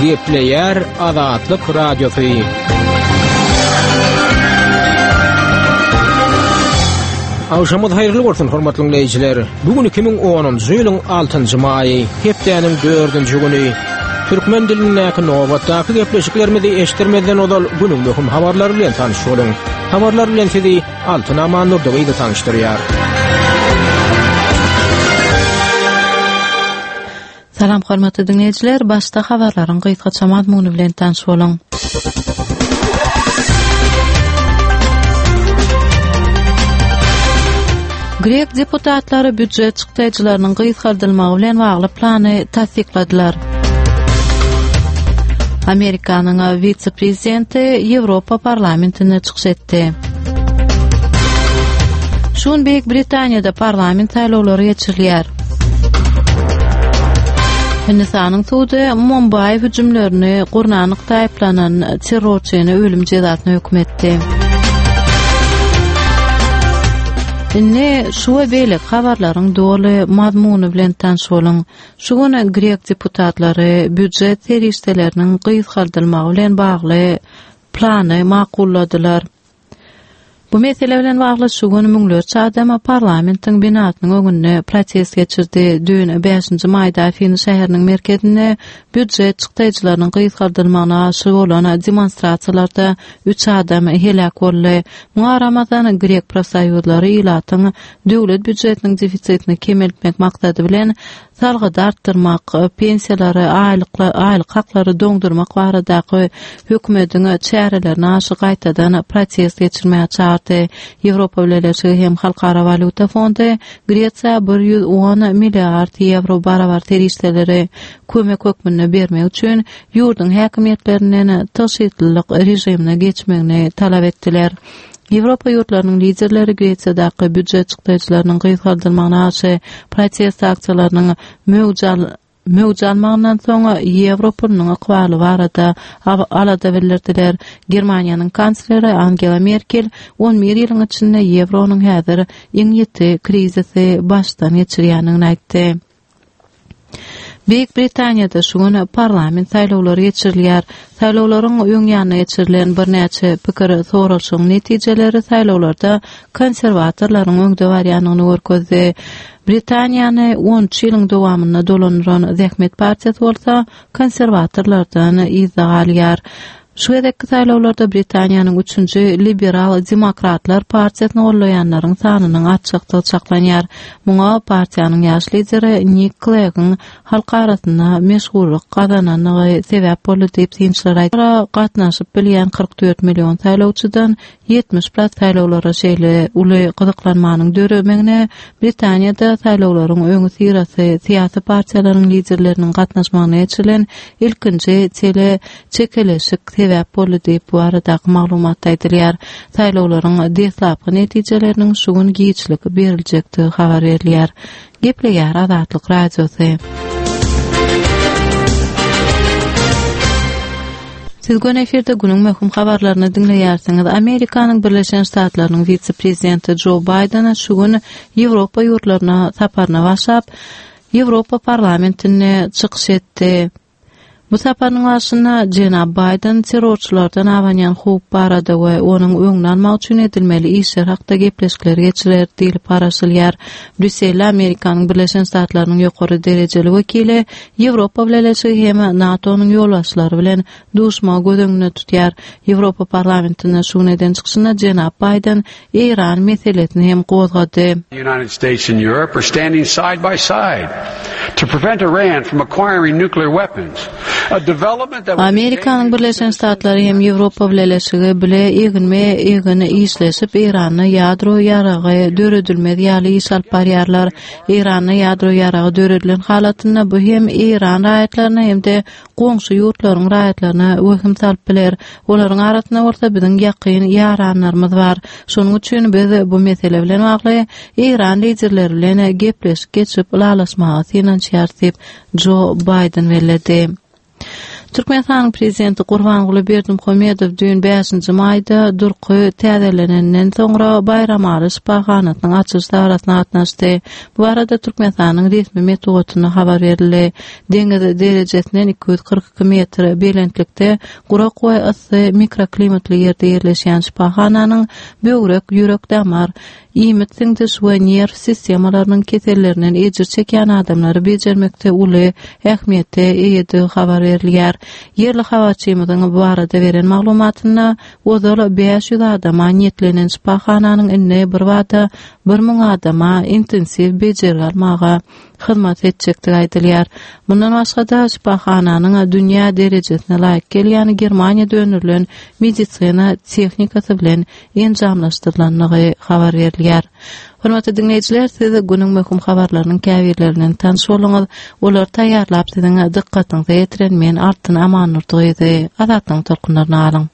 Gepleýär Azatlyk Radiosy. Agşamyňyz haýyrly bolsun, hormatly diňleýjiler. Bu gün 2010-njy ýylyň 6-njy maýy, hepdäniň 4-nji güni. Türkmen dilindäki nobatdaky gepleşiklerimizi eşitdirmezden ozal günüň möhüm habarlary bilen tanyş boluň. Habarlar bilen sizi Altyn Amandurdy gyzy tanyşdyrýar. Salam hormatly diňleýjiler, başda habarlaryň gysgaça mazmuny bilen tanyş boluň. Grek deputatlary býujet çykdaýjylarynyň gysgaldylmagy bilen bagly plany tassykladylar. Amerikanyň wise-prezidenti Ýewropa parlamentinde çykyş etdi. Şu gün Beýik Britaniýada parlament saýlawlary geçirilýär. Hindistanyň sudy Mumbaý hüjümlerini gurnanlykda aýyplanan terrorçyny ölüm jezasyna höküm etdi. Indi şu we beýleki habarlaryň doly mazmuny bilen tanyş boluň. Şu gün grek deputatlary býujet serişdeleriniň gysgaldylmagy bilen bagly plany makulladylar. Bu mesele bilen bagly şu gün müňlerçe adam parlamentiň binasynyň öňünde protest geçirdi. Düýn, bäşinji maýda Afiny şäheriniň merkezinde býujet çykdaýjylarynyň gysgaldylmagyna garşy bolan demonstrasiýalarda üç adam heläk boldy. Muňa garamazdan, grek profsoýuzlary ilatyň döwlet býujetiniň defisitini kemeltmek maksady bilen salgydy artdyrmak, pensiýalary, aýlyk haklary doňdurmak baradaky hökümetiň çärelerine garşy gaýtadan protest geçirmäge çagyrdy. Ýewropa Bileleşigi hem Halkara walýuta fondy Gresiýa 110 milliard ýewro barabar serişdeleri kömek hökmünde bermek üçin ýurduň häkimiýetlerinden tygşytlylyk režimine geçmegini talap etdiler. Ýewropa ýurtlarynyň liderleri Gresiýadaky býujet çykdaýjylarynyň gysgaldylmagyna garşy protest aksiýalarynyň möwj möwj almagyndan soň ýewro pulunyň ykbaly barada alada bildirdiler. Germaniýanyň kansleri Angela Merkel 11 ýylyň içinde ýewronyň häzir iň ýiti krizisi başdan geçirýändigini aýtdy. Beýik Britaniýada şu gün parlament saýlawlary geçirilýär. Saýlawlaryň öň ýanyna geçirilen birnäçe pikir soralyşygyň netijeleri saýlawlarda konserwatorlaryň öňde barýandygyny görkezdi. Britaniýany 13 ýylyň dowamynda dolandyran Zähmet partiýasy bolsa konserwatorlardan yzda galýar. Şu gezekki saýlawlarda Britaniýanyň üçünji Liberal demokratlar partiýasyny gollaýanlaryň sanynyň artjakdygy çaklanýar. Muňa partiýanyň ýaş lideri Nik Kleggiň halk arasynda meşhurlyk gazanandygy sebäp boldy diýip, synçylar aýdýar. Gatnaşyp bilýän 44 million saýlawçydan 70 prat saýlawlara şeýle uly gyzyklanmanyň döremegine Britaniýada saýlawlaryň öňüsyrasy syýasy partiýalaryň liderleriniň gatnaşmagynda geçirilen ilkinji tele çekeleşik sebäp boldy diýip, bu baradaky maglumatda aýdylýar. Saýlawlaryň deslapky netijeleriniň şu gün giçlik beriljekdigi habar berilýär. Gepleýär Azatlyk Radiosy. Siz göni efirde günüň möhüm habarlaryny diňleýärsiňiz. Amerikanyň Birleşen Ştatlarynyň wise-prezidenti Jo Baýden şu gün Ýewropa ýurtlaryna saparyna başlap, Ýewropa parlamentinde çykyş etdi. Bu saparynyň barşynda jenap Baýden terrorçylardan abanýan howp barada we onuň öňüni almak üçin edilmeli işler hakda gepleşikler geçirer diýlip garaşylýar. Brýusselde Amerikanyň Birleşen Ştatlarynyň ýokary derejeli wekili Ýewropa Bileleşigi hem NATO-nyň ýolbaşçylary bilen duşmagy göz öňünde tutýar. Ýewropa Parlamentinde şu gün eden çykyşynda jenap Baýden Eýran meselesini hem gozgady. United States and Europe are standing side by side to prevent Iran from acquiring nuclear weapons. A development that Amerikanyň Birleşen Ştatlary hem Ýewropa Bileleşigi bile eginme-egin işleşip, Eýranda ýadro ýaragy döredilmez ýaly iş alyp barýarlar. Eýranda ýadro ýaragy döredilen halatynda bu hem Eýran raýatlaryna hem-de goňşy ýurtlaryň raýatlaryna wehim salyp biler. Olaryň arasynda bolsa biziň ýakyn ýaranlarymyz bar. Şonuň üçin biz bu mesele bilen bagly Eýran liderleri bilen gepleşik geçirip ylalaşmaga synanyşýarys diýip, Jo Baýden belledi. Türkmenistanyň Prezidenti Gurbanguly Berdimuhamedow düýn bäşinji maýda durky täzelenenden soňra Baýramaly şypahanasynyň açylyş dabarasyna gatnaşdy. Bu barada Türkmenistanyň resmi metbugatynda habar berildi. Deňiz derejesinden 242 metr belentlikde gurak we yssy mikroklimatly ýerde ýerleşýän şypahananyň böwrek, ýürek-damar, iýmit siňdiriş we nerw sistemalarynyň kesellerinden ejir çekýän adamlary bejermekde uly ähmiýete eýedigi habar berilýär. Ýerli habarçymyzyň bu barada beren maglumatynda, ozal 500 adama niýetlenen şypahananyň indi birbada 1000 adama intensiw bejergi almaga hyzmat etjekdigi aýdylýar. Mundan başga-da, şypahananyň dünýä derejesine laýyk gelýän Germaniýada öndürilen medisina tehnikasy bilen enjamlaşdyrylandygy habar berilýär. Hormatly diňleýjiler, siz günüň möhüm habarlarynyň käbirleri bilen tanyş bolduňyz. Olary taýýarlap siziň dykgatyňyza ýetiren men Altyn Amannurdy gyzy. Azatlygyň tolkunlaryny alyň.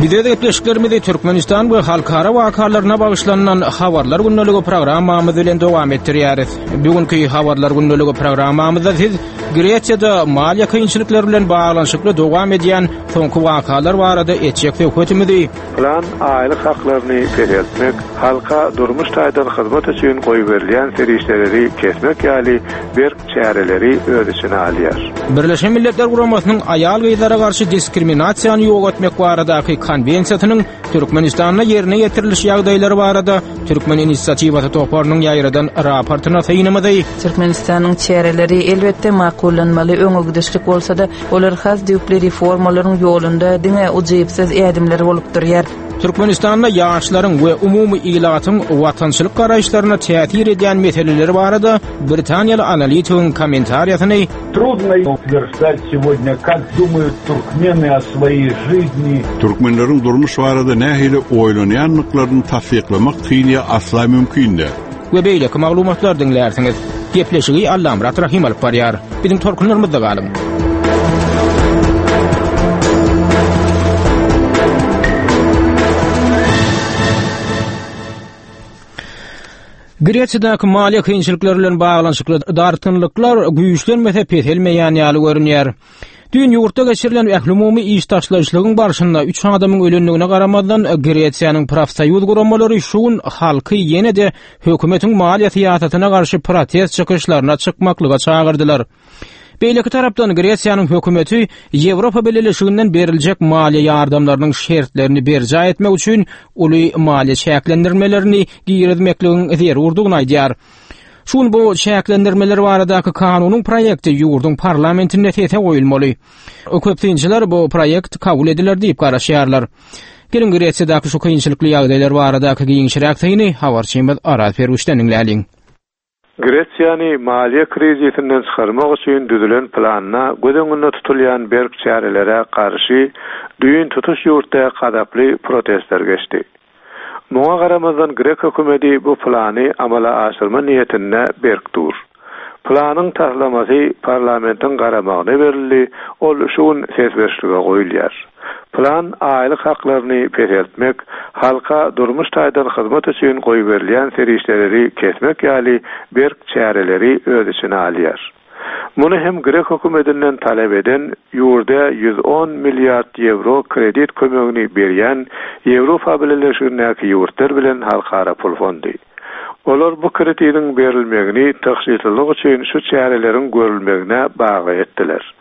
Biz öz gepleşiklerimizi Türkmenistan we halkara wakalaryna bagyşlanylan Habarlar gündeligi programmamyz bilen dowam etdirýäris. Bu günki Habarlar gündeligi programmamyzda siz Gresiýada maliýe kynçylyklary bilen baglanyşykly dowam edýän soňky wakalar barada etjek söhbetimizi Plan aýlyk haklaryny peseltmek, halka durmuş taýdan hyzmat üçin goýberilýän serişdeleri kesmek ýaly berk çäreleri öz içine alýar. Birleşen Milletler Guramasynyň aýal-gyzlara garşy diskriminasiýany ýok etmek baradaky Konwensiýasynyň Türkmenistanda ýerine ýetiriliş ýagdaýlary barada Türkmen inisiatiwasy toparynyň ýaýradan raportyna synymyzy, Türkmenistanyň çäreleri, elbetde, makullanmaly öňegidişlik bolsa-da, olar has düýpli reformalaryň ýolunda diňe ujypsyz ädimler bolup durýar. Türkmenistanda ýaşlaryň we umumy ilatyň watançylyk garaýyşlaryna täsir edýän meseleler barada britaniýaly analitigiň kommentariýasyny, Trudno utwерждать сегодня, как думают туркмены о своей жизни. Türkmenleriň durmuş barada nähili oýlanýandyklaryny tassyklamak kyn ýa asla mümkin däl. We beýleki maglumatlary diňlärsiňiz. Gepleşigi Allamyrat Rahym alyp barýar. Biziň tolkunlarymyzda galyň! Gresiýadaky maliýe kynçylyklary bilen baglanyşykly dartgynlyklar güýçlenmese peselmeýän ýaly görünýär. Düýn ýurtda geçirilen ählumumy iş taşlaýyşlygyň barşynda üç adamyň ölendigine garamazdan, Gresiýanyň profsoýuz guramalary şu gün halky ýene-de hökümetiň maliýe syýasatyna garşy protest çykyşlaryna çykmaklyga çagyrdylar. Beýleki tarapdan Gresiýanyň hökümeti Ýewropa Bileleşiginden beriljek maliýe ýardamlarynyň şertlerini berjaý etmek üçin uly maliýe çäklendirmelerini girizmekligiň zerurdygyny aýdýar. Şu gün bu çäklendirmeler baradaky kanunyň proýekti ýurduň parlamentinde sese goýulmaly. Köp synçylar bu proýekt kabul ediler diýip garaşýarlar. Geliň Gresiýadaky şu kynçylykly ýagdaýlar baradaky giňişräk syny habarçymyz Araz Perwişden diňläliň. Gresiýany maliýe krizisinden çykarmak üçin düzülen planda göz öňünde tutulýan berk çärelere garşy düýn tutuş ýurtda gazaply protestler geçdi. Muňa garamazdan grek hökümeti bu plany amala aşyrma niýetinde berk dur. Planyň taslamasy parlamentiň garamagyna berildi, ol şu gün ses berişlige goýulýar. Plan aýlyk haklaryny peseltmek, halka durmuş taýdan hyzmat üçin goýberilýän serişdeleri kesmek ýaly berk çäreleri öz içine alýar. Muny hem grek hökümetinden talap eden, ýurda 110 milliard ýewro kredit kömegini berýän Ýewropa Bileleşigindäki ýurtlar bilen Halkara pul fondy. Olar bu kredidiň berilmegini tygşytlylyk üçin şu çäreleriň görülmegine bagly etdiler.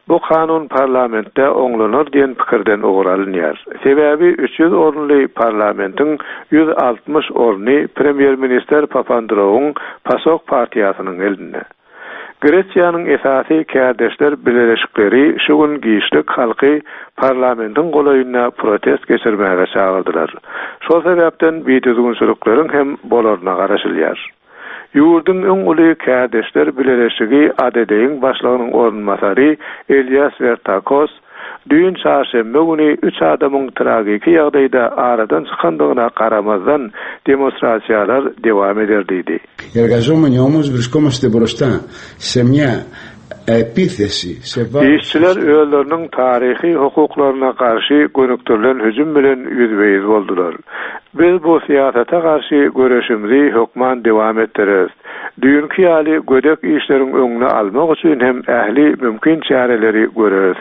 Bu kanun parlamentde oňlanar diýen pikirden ugur alynýar. Sebäbi 300 orunly parlamentiň 160 orny premýer-ministr Papandreouň PASOK partiýasynyň elinde. Gresiýanyň esasy kärdeşler bileleşikleri şu gün giçlik halky parlamentiň golaýynda protest geçirmäge çagyrdylar. Şol sebäpden bidüzgünçilikleriň hem bolaryna garaşylýar. Ýurduň iň uly kärdeşler bileleşigi ADD-iň başlygynyň orunbasary Elias Wertakos düýn çarşenbe güni üç adamyň tragiki ýagdaýda aradan çykandygyna garamazdan demonstrasiýalar dowam eder diýdi. Οι εργαζόμενοι όμως βρισκόμαστε μπροστά σε μια. Επίθεση σε βάρος Işçiler özleriniň taryhy hukuklaryna garşy gönükdirilen hüjüm bilen ýüzbe-ýüz boldular. Biz bu syýasata garşy göreşimizi hökman dowam etdireris. Düýnki ýaly gödek işleriň öňüni almak üçin hem ähli mümkin çäreleri göreris.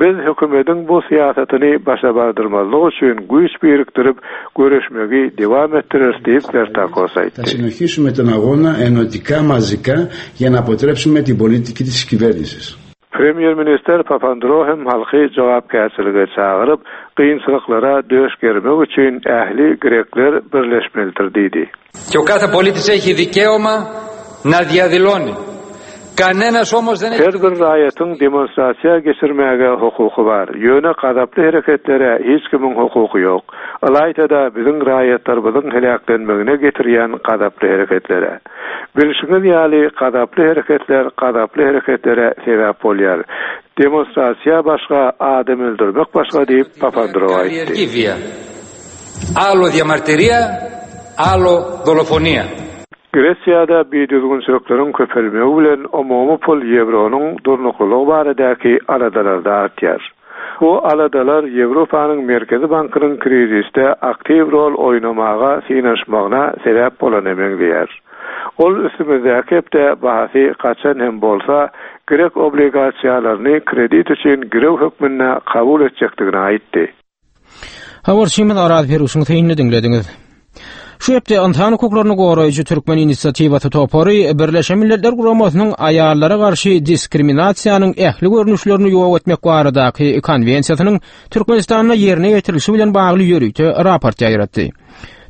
Biz hökümediň bu syýasatyny başa bardyrmazlyk üçin güýç birikdirip, göreşmegi dowam etdireris diýip, Bertakos Θα aýtdy. συνεχίσουμε τον αγώνα ενωτικά μαζικά για να αποτρέψουμε την πολιτική της κυβέρνησης. Premýer-ministr Papandreou hem halky jogapkärçilige çagyryp, kynçylyklara döş germek üçin ähli grekler birleşmelidir diýdi. Και ο κάθε πολίτης έχει δικαίωμα να διαδηλώνει. Κανένας όμως δεν Her bir raýatyň demonstrasiýa geçirmäge hukuky bar. Ýöne gazaply hereketlere hiç kimiň hukuky ýok. Ylaýta-da biziň raýatlarymyzyň heläklenmegine getirýän gazaply hereketlere. Bilşiňiz ýaly, gazaply hereketler gazaply hereketlere sebäp bolýar. Demonstrasiýa başga, adam öldürmek başga diýip, Papandreou aýtdy. Άλλο διαμαρτυρία, άλλο δολοφονία. Gresiýada bidüzgünçilikleriň köpelmegi bilen umumy pul ýewronyň durnuklylygy baradaky aladalar-da artýar. Bu aladalar Ýewropanyň Merkezi bankynyň krizisde aktiw rol oýnamaga synanyşmagyna sebäp bolana meňzeýär. Ol üstümizdäki hepde bahasy gaçan hem bolsa, grek obligasiýalaryny kredit üçin girew hökmünde kabul etjekdigini aýtdy. Habarçymyz Araz Peruşyň synyny diňlediňiz. Şu hepde ynsan hukuklaryny goraýjy Türkmen inisiatiwasy topary Birleşen Milletler Guramasynyň aýallara garşy diskriminasiýanyň ähli görnüşlerini ýok etmek baradaky konwensiýasynyň Türkmenistanda ýerine ýetirilişi bilen bagly ýörite raport ýaýratdy.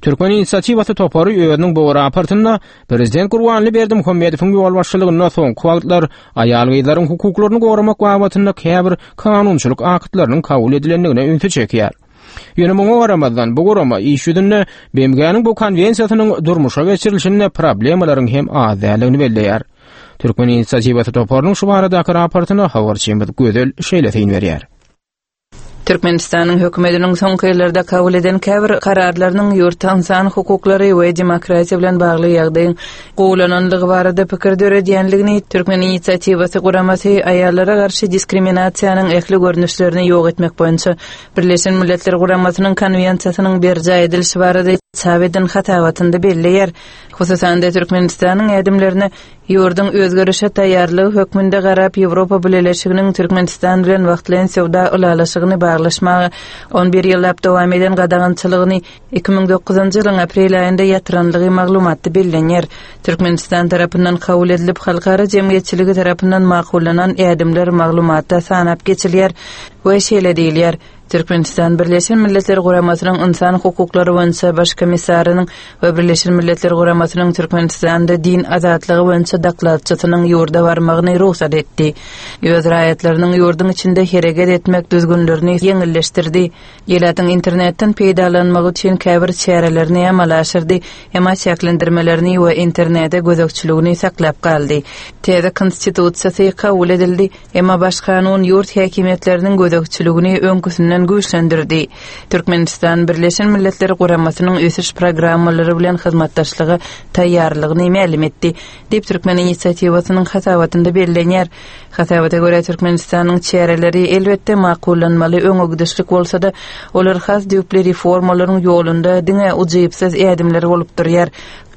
Türkmen inisiatiwasy topary özüniň bu raportynda Prezident Gurbanguly Berdimuhamedowyň ýolbaşçylygynda soňky wagtlar aýal-gyzlaryň hukuklaryny goramak babatynda käbir kanunçylyk aktlarynyň kabul edilendigine ünsi çekýär. Ýöne muňa garamazdan, bu gurama iş ýüzünde BMG-niň bu konwensiýasynyň durmuşa geçirilişinde problemalaryň hem az däldigini belleýär. Türkmen inisiatiwasy toparynyň şu baradaky raportyna habarçymyz Gözel şeýle syn berýär. Türkmenistanyň hökümetiniň soňky ýyllarda kabul eden käbir kararlarynyň ýurtda ynsan hukuklary we demokratiýa bilen bagly ýagdaýyň gowulanandygy barada pikir döredýänligini Türkmen inisiatiwasy guramasy aýallara garşy diskriminasiýanyň ähli görnüşlerini ýok etmek boýunça Birleşen Milletler Guramasynyň Konwensiýasynyň berjaý edilişi barada çap eden hasabatynda belleýär. Hususan-da, Türkmenistanyň ädimlerine Ýurduň özgerişe taýýarlygy hökmünde garap, Ýewropa Bileleşiginiň Türkmenistan bilen wagtlaýyn söwda ylalaşygyny baglaşmaga on bir ýyllap dowam eden gadagançylygyny 2009-njy ýylyň aprel aýynda ýatyranlygy maglumatda bellenýär. Türkmenistan tarapyndan kabul edilip, halkara jemgyýetçiligi tarapyndan makullanan ädimler maglumatda sanap geçilýär we şeýle diýilýär, Türkmenistan Birleşen Milletler Guramasynyň Ynsan hukuklary boýunça Baş komissarynyň we Birleşen Milletler Guramasynyň Türkmenistanda din azatlygy boýunça dokladçysynyň ýurda barmagyny rugsat etdi. Öz raýatlarynyň ýurduň içinde hereket etmek düzgünlerini ýeňilleşdirdi. Ilatyň internetden peýdalanmagy üçin käbir çärelerini amala aşyrdy, emma çäklendirmelerini we internete gözegçiligini saklap galdy. Täze Konstitusiýasy kabul edildi. Emma Baş kanun ýurt häkimiýetleriniň gözegçiligini öňküsinden güýçlendirdi. Türkmenistan Birleşen Milletler Guramasynyň ösüş programmalary bilen hyzmatdaşlyga taýýarlygyny mälim etdi, diýip, Türkmen inisiatiwasynyň hasabatynda bellenýär. Hasabata görä, Türkmenistanyň çäreleri, elbetde, makullanmaly öňegidişlik bolsa-da, olar has düýpli reformalaryň ýolunda diňe ujypsyz ädimler bolup durýar.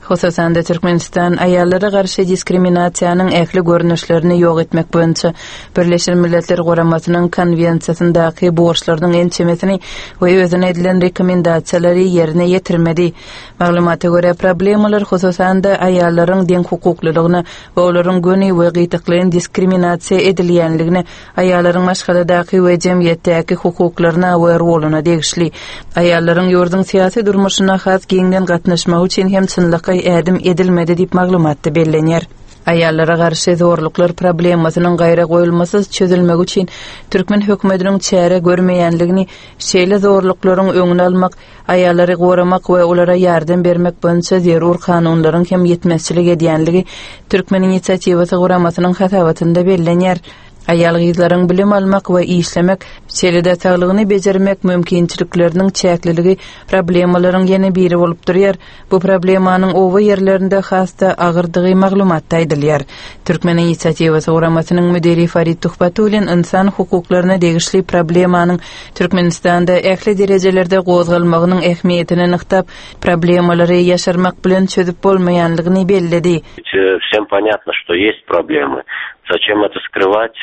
Hususan-da, Türkmenistan aýallara garşy diskriminasiýanyň ähli görnüşlerini ýok etmek boýunça Birleşen Milletler Guramasynyň Konwensiýasyndaky borçlarynyň ençemesini we özüne edilen rekomendasiýalary ýerine ýetirmedi. Maglumata görä, problemalar, hususan-da, aýallaryň deňhukuklylygyna we olaryň göni we gytaklaýyn diskriminasiýa edilýänligine Aýallaryň maşgaladaky we jemgyýetdäki hukuklaryna we roluna degişli. Aýallaryň ýurduň syýasy durmuşyna has giňden gatnaşmagy üçin hem çynlakaý ädim edilmedi diýip maglumatda bellenýär. Aýallara garşy zorluklar problemasynyň gaýragoýulmasyz çözülmegi üçin türkmen hökümetiniň çäre görmeýänligini, şeýle zorluklaryň öňüni almak, aýallary goramak we olara ýardam bermek boýunça zerur kanunlaryň hem ýetmezçilik edýänligi Türkmen inisiatiwasy guramasynyň hasabatynda bellenýär. Aýal-gyzlaryň bilim almak we işlemek, şeýle-de saglygyny bejermek mümkinçilikleriniň çäkliligi problemalaryň ýene biri bolup durýar. Bu problemanyň oba ýerlerinde has-da agyrdygy maglumatda aýdylýar. Türkmen inisiatiwasy guramasynyň müdiri Farid Tuhbatullin ynsan hukuklaryna degişli problemanyň Türkmenistanda ähli derejelerde gozgalmagynyň ähmiýetini nygtap, problemalary ýaşyrmak bilen çözüp bolmaýanlygyny belledi. Всем понятно, что есть проблемы. Зачем это скрывать?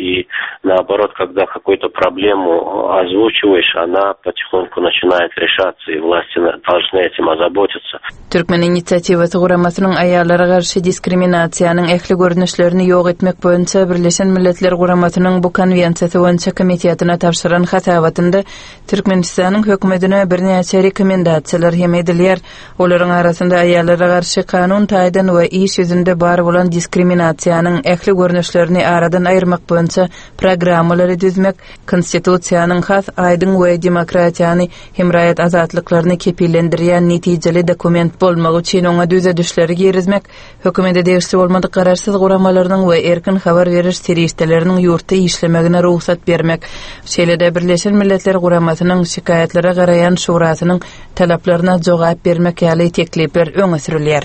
И наоборот, когда какую-то проблему озвучиваешь, она потихоньку начинает решаться, и власти должны этим озаботиться. Türkmen inisiatiwasy guramasynyň aýallara garşy diskriminasiýanyň ähli görnüşlerini ýok etmek boýunça Birleşen Milletler Guramasynyň bu konwensiýasy boýunça komitetine tabşyran hasabatynda Türkmenistanyň hökümetine birnäçe rekomendasiýalar hem edilýär. Olaryň arasynda aýallara garşy kanun taýdan we iş ýüzünde bar bolan diskriminasiýanyň ähli görnüşlerini aradan aýyrmak boýunça programmalary düzmek, Konstitusiýanyň has aýdyň we demokratiýany hem raýat azatlyklaryny kepillendirýän netijeli dokument bolmagy üçin oňa düzedişleri girizmek, Hökümete degişli bolmadyk garaşsyz guramalarynyň we erkin habar beriş serişdeleriniň ýurtda işlemegine rugsat bermek, şeýle-de Birleşen Milletler Guramasynyň Şikaýatlara garaýan şurasynyň talaplaryna jogap bermek ýaly teklipler öňe sürülýär.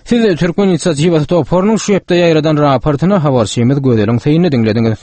Siz Türkmen inisiatiwasy toparynyň şu hepde ýaýradan raportyny habarçymyz Gözeliň Seýinini diňlediňiz.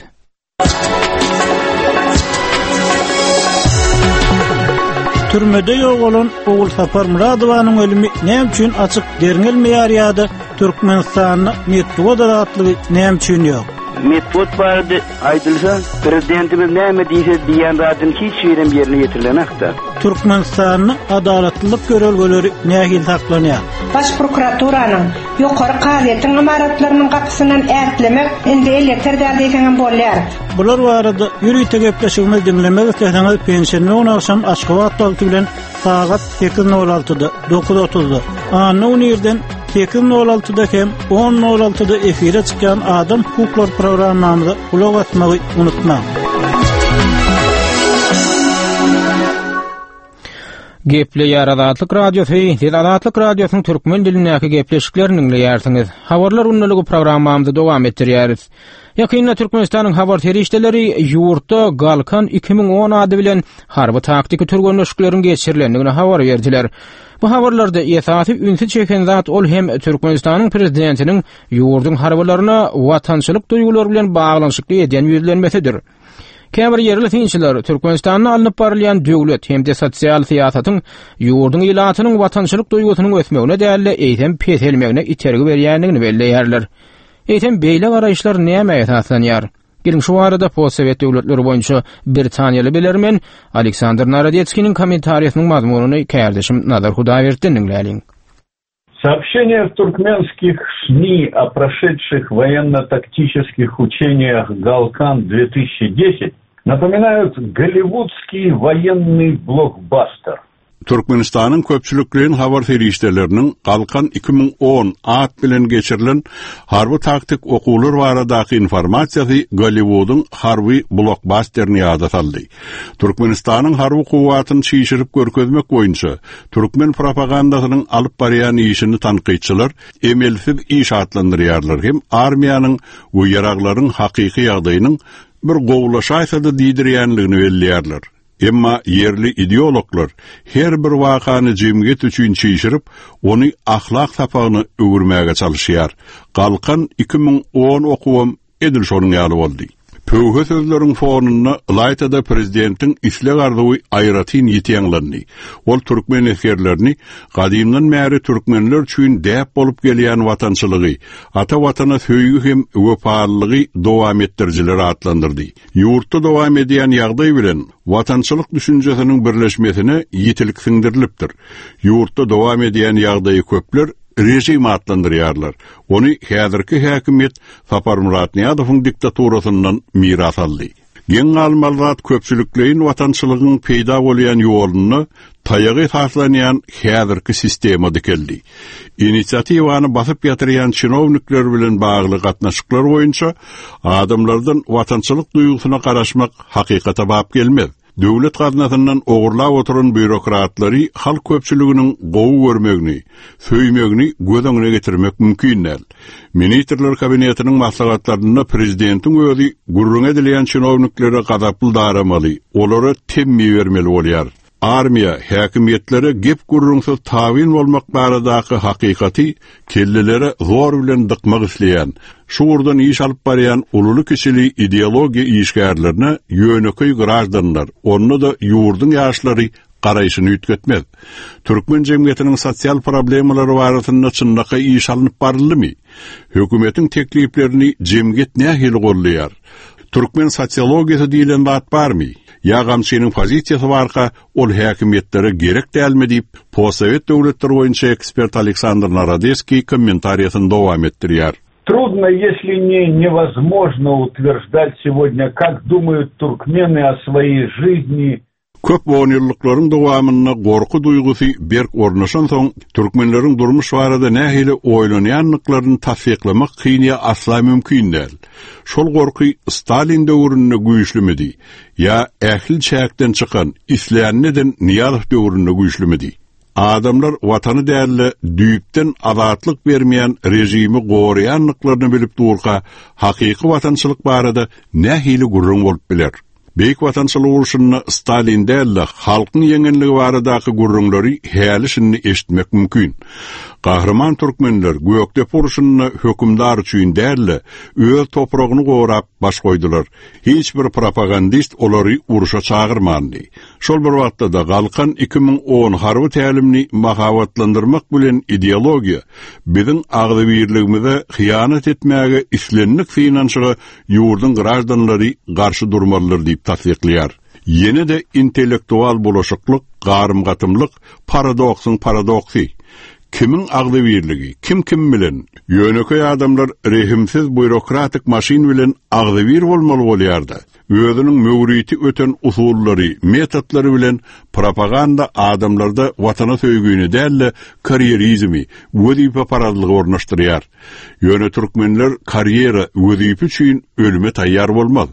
Türmede ýogalan Ogulsapar Myradowanyň ölümi näme üçin açyk derňelmeýär ýa-da Türkmenistanda metbugat azatlygy näme üçin ýok? Metbugat barada aýdylsa, prezidentimiz näme diýse diýýän zadyny hiç birem ýerine ýetirilenakda. Türkmenistanda adalatlylyk ýörelgeleri nähili saklanýar? Baş prokuraturanyň, Ýokary kazyýetiň ymaratlarynyň gapysyndan ätlemek indi elýeter däl diýseňem bolýar. Bular barada ýörite gepleşigimizi diňlemek isleseňiz penşenbe güni agşam Aşgabat wagty bilen sagat 8.06-da, 9.30-da, anna güni irden 8.06-da hem 10.06-da efire çykýan Adam hukuklary programmamyza gulak asmagy unutmaň. Gepleýär Azatlyk Radiosy, Siz Azatlyk Radiosynyň türkmen dilindäki gepleşiklerini diňleýärsiňiz. Habarlar gündeligi programmamyzy dowam etdirýäris. Ýakynda Türkmenistanyň habar serişdeleri ýurtda Galkan 2010 ady bilen harby-taktiki türgenleşikleriň geçirilendigini habar berdiler. Bu habarlarda esasy ünsi çeken zat ol hem Türkmenistanyň prezidentiniň ýurduň harbylaryna watançylyk duýgulary bilen baglanyşykly edýän ýüzlenmesidir. Käbir ýerli synçylar Türkmenistanda alnyp barylýan döwlet hem-de sosial syýasatyň ýurduň ilatynyň watançylyk duýgusynyň ösmegine däl-de, eýsem peselmegine itergi berýändigini belleýärler. Eýsem beýle garaýyşlar nämä esaslanýar? Geliň şu barada postsowet döwletleri boýunça britaniýaly bilermen Aleksandr Narodetskiniň kommentariýasynyň mazmunyny kärdeşim Nazar Hudaýberdiden diňläliň. Сообщения в туркменских СМИ о прошедших военно-тактических учениях «Галкан-2010» напоминают голливудский военный блокбастер. Türkmenistanyň köpçülikleýin habar serişdeleriniň Galkan 2010 at bilen geçirilen harby-taktik okuwlar baradaky informasiýasy Golliwudyň harby blokbasterini ýada saldy. Türkmenistanyň harby kuwwatyny çişirip görkezmek boýunça Türkmen propagandasynyň alyp barýan işini tankytçylar emelsiz iş atlandyrýarlar hem armiýanyň we ýaraglaryň hakyky ýagdaýynyň bir gowulaşaýsa-da diýdirýänligini belleýärler. Emma ýerli ideologlar her bir wakany jemgyýet üçin çişirip, ony ahlak sapagyna öwürmäge çalyşýar. Galkan 2010 okuwam Edil şonuň ýaly boldy. Pöwhe sözleriň fonunda ylaýta-da prezidentiň isleg-arzuwy aýratyn ýiti ýaňlandy. Ol türkmen esgerlerini gadymdan bäri türkmenler üçin däp bolup gelýän watançylygy, ata Watana söýgi hem wepalylygy dowam etdirijiler atlandyrdy. Ýurtda dowam edýän ýagdaý bilen watançylyk düşünjesiniň birleşmesine ýitilik siňdirilipdir. Ýurtda dowam edýän ýagdaýy köpler režim atlandyrýarlar. Ony häzirki häkimiýet Saparmyrat Nyýazowyň diktaturasyndan miras aldy. Geň galmaly zat köpçülikleýin watançylygyň peýda bolýan ýolunda taýaga esaslanýan häzirki sistema dikeldi. Inisiatiwany basyp ýatyrýan çinownikler bilen bagly gatnaşyklar boýunça adamlardan watançylyk duýgusyna garaşmak hakykata bap gelmez. Döwlet gaznasyndan ogurlap oturan býurokratlary halk köpçüliginiň gowy görmegini, söýmegini göz öňüne getirmek mümkin däl. Ministrler Kabinetiniň maslahatlarynda prezidentiň özi gürrüňi edilýän çinowniklere gazaply daramaly, olara temmi bermeli bolýar. Armiýa, häkimiýetlere gep-gürrüňsiz tabyn bolmak baradaky hakykaty kellelere zor bilen dykmak isleýän, şu ugurdan iş alyp barýan ululy-kiçili ideologiýa işgärlerine ýönekeý graždanlar, onda-da ýurduň ýaşlary garaýşyny üýtgetmez. Türkmen jemgyýetiniň sosial problemalary barasynda çynlakaý iş alnyp baryldymy? Hökümetiň tekliplerini jemgyýet nähili goldaýar? Türkmen sosiologiýasy diýlen zat barmy? Ýa gamçynyň pozisiýasy barka, ol häkimiýetlere gerek dälmi diýip, postsowet döwletleri boýunça ekspert Aleksandr Narodeskiý kommentariýasyny dowam etdirýär. Трудно, если не невозможно утверждать сегодня, как думают туркмены о своей жизни Köp onýyllyklaryň dowamynda gorky duýgusy berk ornaşansoň, türkmenleriň durmuş barada nähili oýlanýandyklaryny tassyklamak kyn ýa asla mümkin däl. Şol gorky Stalin döwründe güýçlümidi ýa ähli çäkden çykan, islänini eden Nyýazow döwründe güýçlümidi? Adamlar Watany däl-de, düýpden azatlyk bermeýän režimi goraýandyklaryny bilip durka, hakyky watançylyk barada nähili gürrüň bolup biler? Beýik Watançylyk urşunda Stalin däl-de, halkyň ýeňenligi baradaky gürrüňleri häli-şindi eşitmek mümkin. Gahryman türkmenler Gökdepe urşunda hökümdar üçin däl-de, öz topragyny gorap baş goýdular. Hiç bir propagandist olary urşa çagyrmandy. Şol bir wagtda-da Galkan 2010 harby tälimini mahabatlandyrmak bilen ideologiýa biziň agzybirligimize hyýanat etmäge islendik synanyşyga ýurduň graždanlary garşy durmalydyr diýip tassyklaýar. Ýene-de intellektual bulaşyklyk, garym-gatymlyk, paradoksyň paradoksy. Kimiň agzybirligi, kim kim bilen? Ýönekeý adamlar rehimsiz býurokratik maşyn bilen agzybir bolmaly bolýar-da. Özüniň möwriti öten usullary, metodlary bilen propaganda adamlarda watana söýgini däl-de, karýerizmi, wezipeparazlygy ornaşdyrýar. Ýöne türkmenler karýera, wezipe üçin ölüme taýýar bolmaz.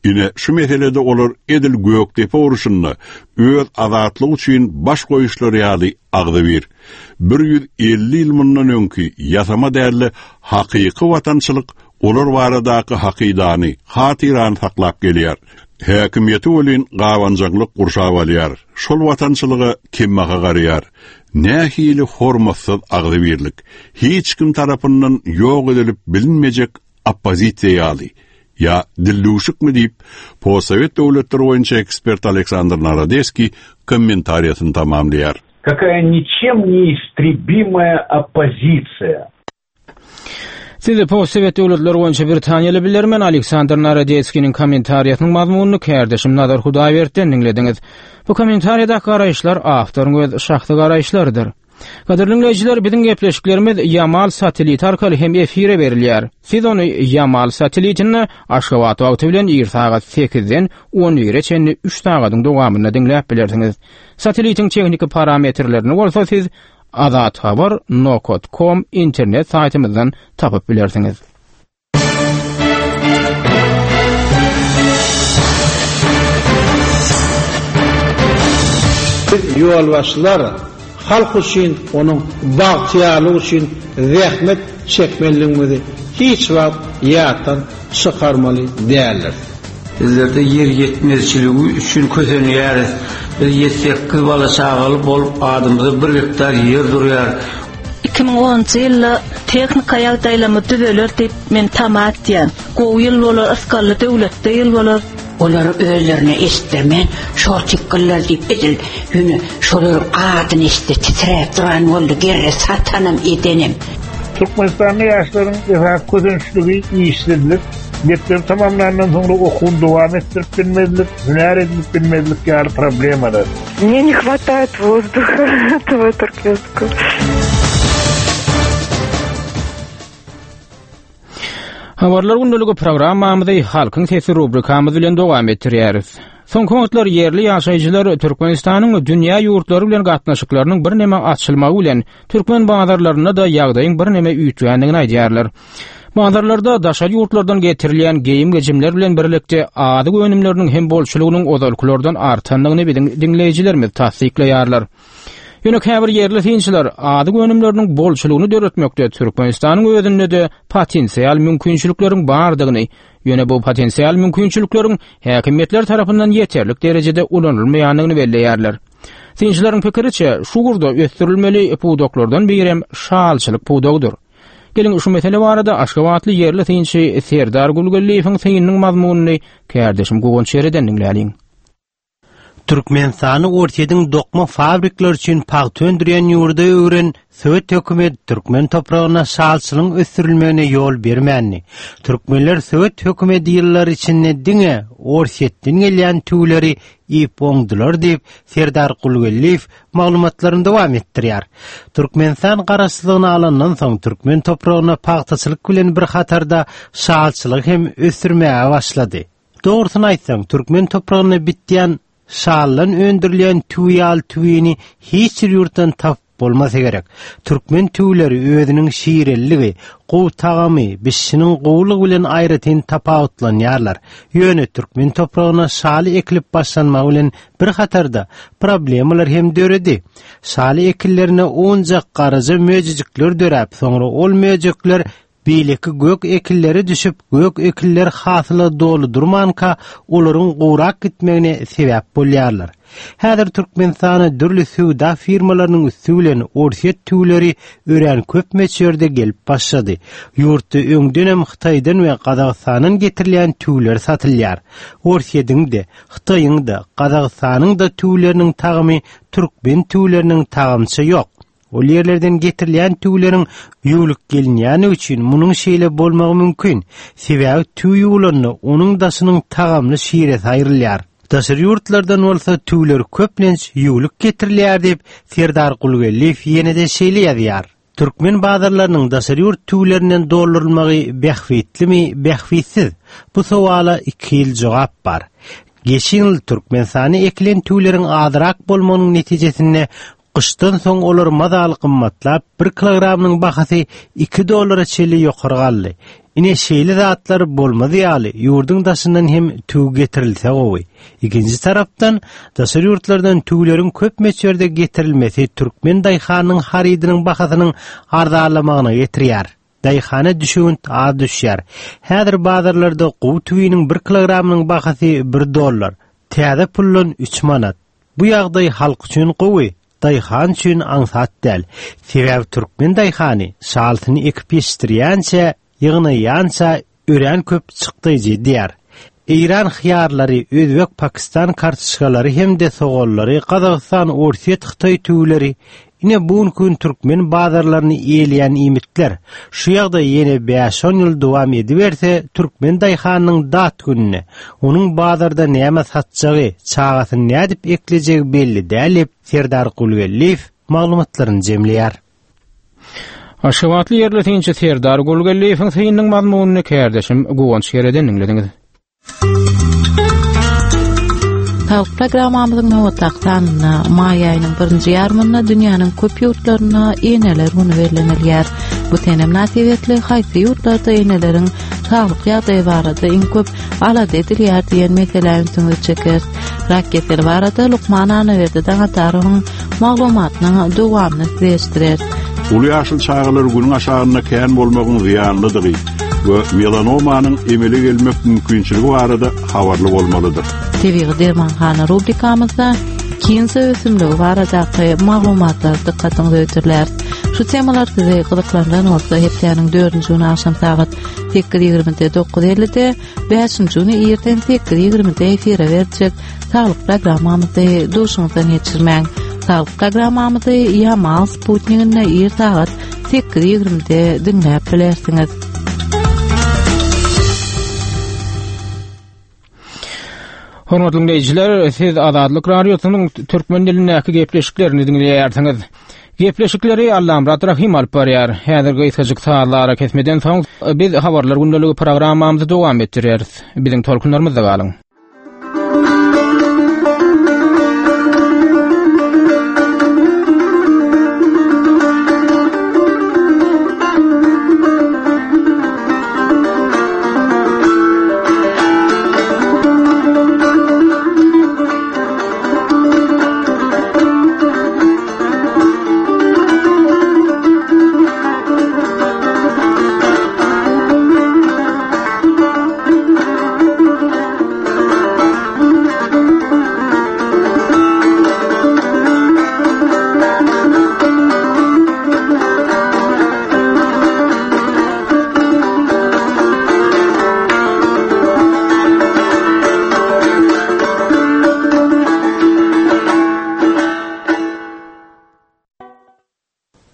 Ine, şu meselede olar edil Gökdepe urşunda öz azatlygy üçin baş goýuşlary ýaly agzybir. 150 ýyl mundan öňki ýasama däl-de, hakyky watançylyk olar baradaky hakydany, hatyrany saklap gelýär. Häkimiýeti welin gabanjaňlyk gurşap alýar. Şol watançylyga kembaha garaýar. Nähili hormatsyz agzybirlik! Hiç kim tarapyndan ýok edilip bilinmejek oppozisiýa ýaly. Ýa dildüwşükmi diýip, postsowet döwletleri boýunça ekspert Aleksandr Narodeskiý kommentariýasyny tamamlaýar. Какая ничем не истребимая оппозиция! Siz postsowet döwletleri boýunça britaniýaly bilermen Aleksandr Narodetskiniň kommentariýasynyň mazmunyny kärdeşim Nazar Hudaýberdiden diňlediňiz. Bu kommentariýadaky garaýyşlar awtoryň öz şahsy garaýyşlarydyr. Gadyrly diňleýjiler, biziň gepleşiklerimiz Ýamal sateliti arkaly hem efire berilýär. Siz ony Ýamal satelitinde Aşgabat wagty bilen ir sagat sekizden on bire çenli üç sagadyň dowamynda diňläp bilersiňiz. Satelitiň tehniki parametrlerini bolsa siz Azathabar nokat kom internet saýtymyzdan tapyp bilersiňiz. Biz ýolbaşçylar halk üçin, onuň bagtyýarlygy üçin zähmet çekmelidigimizi hiç wagt ýatdan çykarmaly däldiris. Bizlerde ýer ýetmezçiligi üçin kösenýäris. Biz ýedi-sekiz bala-çagaly bolup, adymyza bir gektar ýer durýar. 2010-njy ýylda tehnika ýagdaýlarymyz düzeler diýip, men tama etýän. Gowy ýyl bolar, ysgally döwletde ýyl bolar. Olary özlerine eşitdirmän, şol tikgiller diýip edil ýöne şolaryň adyny eşitse titräp duran boldy, gerre satanam edenem. Türkmenistanda ýaşlaryň esasy kösençligi işsizlik, mekdebi tamamlandan soňra okuwyny dowam etdirip bilmezlik, hünär edinip bilmezlik ýaly problemalar. Мне не хватает воздуха этого туркменского. Habarlar gündeligi programmamyzy Halkyň sesi rubrikamyz bilen dowam etdirýäris. Soňky wagtlar ýerli ýaşaýjylar Türkmenistanyň dünýä ýurtlary bilen gatnaşyklarynyň birneme açylmagy bilen türkmen bazarlarynda-da ýagdaýyň birneme üýtgändigini aýdýarlar. Bazarlarda daşary ýurtlardan getirilýän geýim-gejimler bilen birlikde azyk önümleriniň hem bolçulygynyň ozalkylardan artandygyny biziň diňleýjilerimiz tassyklaýarlar. Ýöne käbir ýerli synçylar azyk önümleriniň bolçulygyny döretmekde Türkmenistanyň özünde-de potensial mümkinçilikleriň bardygyny, ýöne bu potensial mümkinçilikleriň häkimiýetler tarapyndan ýeterlik derejede ulanylmaýandygyny belleýärler. Synçylaryň pikiriçe, şu ugurda ösdürilmeli pudaklardan birem şalçylyk pudagydyr. Geliň, şu mesele barada aşgabatly ýerli synçy Serdar Gulgeldiýewiň synynyň mazmunyny kärdeşim Guwanç Şereden diňläliň. Türkmenistany Orsýetiň dokma fabrikleri üçin pagta öndürýän ýurda öwren sowet hökümeti türkmen topragynda şalçylygyň ösdürilmegine ýol bermändi. Türkmenler sowet hökümeti ýyllary içinde diňe Orsýetden gelýän tüwüleri iýip oňdular diýip, Serdar Gulgeldiýew maglumatlaryny dowam etdirýär. Türkmenistan garaşsyzlygyny alandan soň türkmen topragynda pagtaçylyk bilen bir hatarda şalçylygy hem ösdürmäge başlady. Dogrusyny aýtsaň, türkmen topragynda bitýän şaldan öndürilýän tüwi ýaly tüwini hiç bir ýurtdan tapyp bolmasa gerek. Türkmen tüwüleri özüniň şireliligi, gowy tagamy, bişişiniň gowulygy bilen aýratyn tapawutlanýarlar. Ýöne türkmen topragyna şaly ekilip başlanmagy bilen bir hatarda problemalar hem döredi. Şaly ekinlerine owunjak garaja möjejikler döräp, soňra ol möjekler Beýleki gök ekinlere düşüp, gök ekinler hasyla doly durmanka, olaryň gurak gitmegine sebäp bolýarlar. Häzir Türkmenistana dürli söwda firmalarynyň üsti bilen orsýet tüwüleri örän köp möçberde gelip başlady. Ýurtda öňdenem Hytaýdan we Gazagystandan getirilýän tüwüler satylýar. Orsýediň-de, Hytaýyň-da, Gazagystanyň-da tüwüleriniň tagamy türkmen tüwüleriniň tagamyça ýok. Ol ýerlerden getirilýän tüwüleriň ýuwlup gelinýäni üçin munuň şeýle bolmagy mümkin. Sebäbi tüwi ýuwulanda onuň daşynyň tagamly şiresi aýrylýar. Daşary ýurtlardan bolsa tüwüler köplenç ýuwlup getirilýär diýip, Serdar Gulgeldiýew ýene-de şeýle ýazýar. Türkmen bazarlarynyň daşary ýurt tüwülerinden doldurylmagy bähbitlimi, bähbitsiz? Bu sowala ikihili jogap bar. Geçen ýyl Türkmenistanda ekilen tüwüleriň azrak bolmagynyň netijesinde Gyşdan soň olar mazaly gymmatlap, bir kilogramynyň bahasy iki dollara çenli ýokary galdy. Ine, şeýle zatlar bolmaz ýaly, ýurduň daşyndan hem tüwi getirilse gowy. Ikinji tarapdan, daşary ýurtlardan tüwüleriň köp möçberde getirilmesi türkmen daýhanynyň harydynyň bahasynyň arzanlamagyna getirýär. Daýhana düşewünt az düşýär. Häzir bazarlarda gowy tüwiniň bir kilogramynyň bahasy bir dollar, täze puldan üç manat. Bu ýagdaý halk üçin gowy, daýhan üçin aňsat däl. Sebäbi türkmen daýhany şalysyny ekip ýetişdirýänçä, ýygnaýança örän köp çykdaýjy edýär. Eýran hyýarlary, özbek, pakistan kartoşkalary hem-de soganlary, Gazagystan, Orsýet, Hytaý tüwüleri, ine bu günki gün türkmen bazarlaryny eýeleýän iýmitler. Şu ýagdaý ýene bäş-on ýyl dowam ediberse, türkmen daýhanynyň dat gününe, onuň bazarda näme satjagy, çagasyny nädip eklejegi belli däl diýip, Serdar Gulgeldiýew maglumatlaryny jemleýär. Aşgabatly ýerli synçy Serdar Gulgeldiýewiň synynyň mazmunyny kärdeşim Guwanç Gereden diňlediňiz. Saglyk programmamyzyň nobatdaky sanynda maý aýynyň birinji ýarymynda dünýäniň köp ýurtlarynda eneler güni bellenilýär. Bu sene mynasybetli haýsy ýurtlarda eneleriň saglyk ýagdaýy barada iň köp alada edilýär diýen meselä ünsüňizi çekeris. Rak keseli barada lukman Annaberdi Daňatarowyň maglumatynyň dowamyny size eşitdireris. Uly ýaşly çagalar günüň aşagynda kän bolmagyň zyýanlydygy we melanomanyň emele gelmek mümkinçiligi barada habarly bolmalydyr. Tebigy dermanhana rubrikamyzda kinza ösümligi baradaky maglumatlar dykgatyňyza hödürläris. Şu temalar sizi gyzyklandyran bolsa, hepdäniň dördünji güni agşam sagat 8:20-de 9:50-de, bäşinji güni irden 8:20-de efire berjek Saglyk programmamyzy duşuňyzdan geçirmäň. Saglyk programmamyzy Ýamal sputniginde ir sagat 8:20-de diňläp bilersiňiz. Hormatly diňleýjiler, siz Azatlyk Radiosynyň türkmen dilindäki gepleşiklerini diňleýärsiňiz. Gepleşikleri Allamyrat Rahym alyp barýar. Häzir gysgajyk sazly arakesmeden soň biz Habarlar gündeligi programmamyzy dowam etdireris. Biziň tolkunlarymyzda galyň.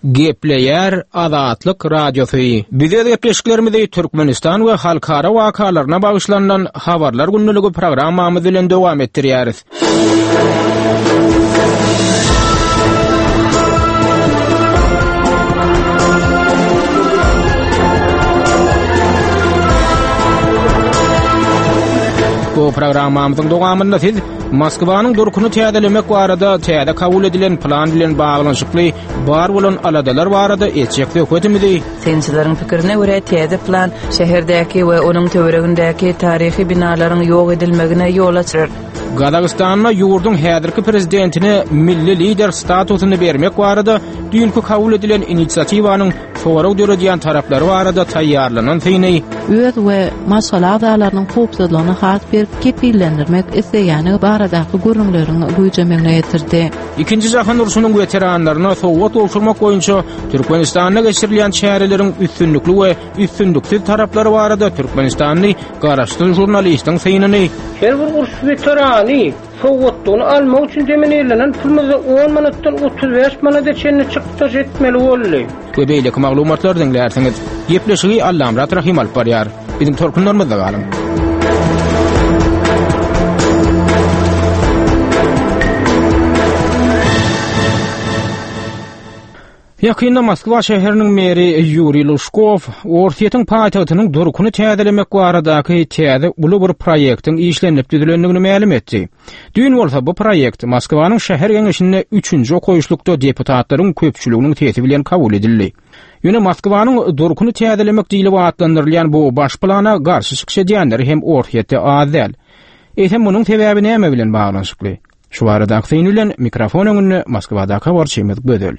Gepleýär Azatlyk Radiosy. Biz öz gepleşiklerimizi Türkmenistan we halkara wakalaryna bagyşlanylan Habarlar gündeligi programmamyz bilen dowam etdirýäris. Bu programmamyzyň dowamynda siz Moskwanyň durkuny täzelemek barada täze kabul edilen plan bilen baglanyşykly bar bolan aladalar barada etjek söhbetimizi Synçylaryň pikirine görä, täze plan şäherdäki we onuň töweregindäki taryhy binalaryň ýok edilmegine ýol açar. Gazagystanda ýurduň häzirki prezidentine milli lider statusyny bermek barada düýnki kabul edilen inisiatiwanyň sorag döredýän taraplary barada taýýarlanan syny öz we maşgala agzalarynyň howpsuzlygyny has berk kepillendirmek isleýändigi baradaky gürrüňleriň güýjemegine getirdi. Ikinji jahan urşunyň weteranlaryna sowgat gowşurmak boýunça Türkmenistanda geçirilýän çäreleriň üstünlikli we üstünliksiz taraplary barada türkmenistanly garaşsyz žurnalistiň synyny. Her bir uruş weterany sowgatlygyny almak üçin deminirlenen pulumyzda on manatdan 35 manada çenli çykdajy etmeli boldy. We beýleki maglumatlary diňlärsiňiz. Gepleşigi Allamyrat Rahym alyp barýar. Biziň tolkunlarymyzda galyň. Ýakynda Moskwa şäheriniň meri Ýuriý Lužkow Orsýetiň paýtagtynyň durkuny täzelemek baradaky täze uly bir proýektiň işlenilip düzülendigini mälim etdi. Düýn bolsa bu proýekt Moskwanyň şäher geňeşinde üçünji okaýyşlykda deputatlaryň köpçüliginiň sesi bilen kabul edildi. Ýöne Moskwanyň durkuny täzelemek diýlip atlandyrylýan bu baş plana garşy çykyş edýänler hem Orsýetde az däl. Eýsem munuň sebäbi näme bilen baglanyşykly? Şu baradaky syn bilen mikrofon öňünde Moskwadaky habarçymyz Gözel.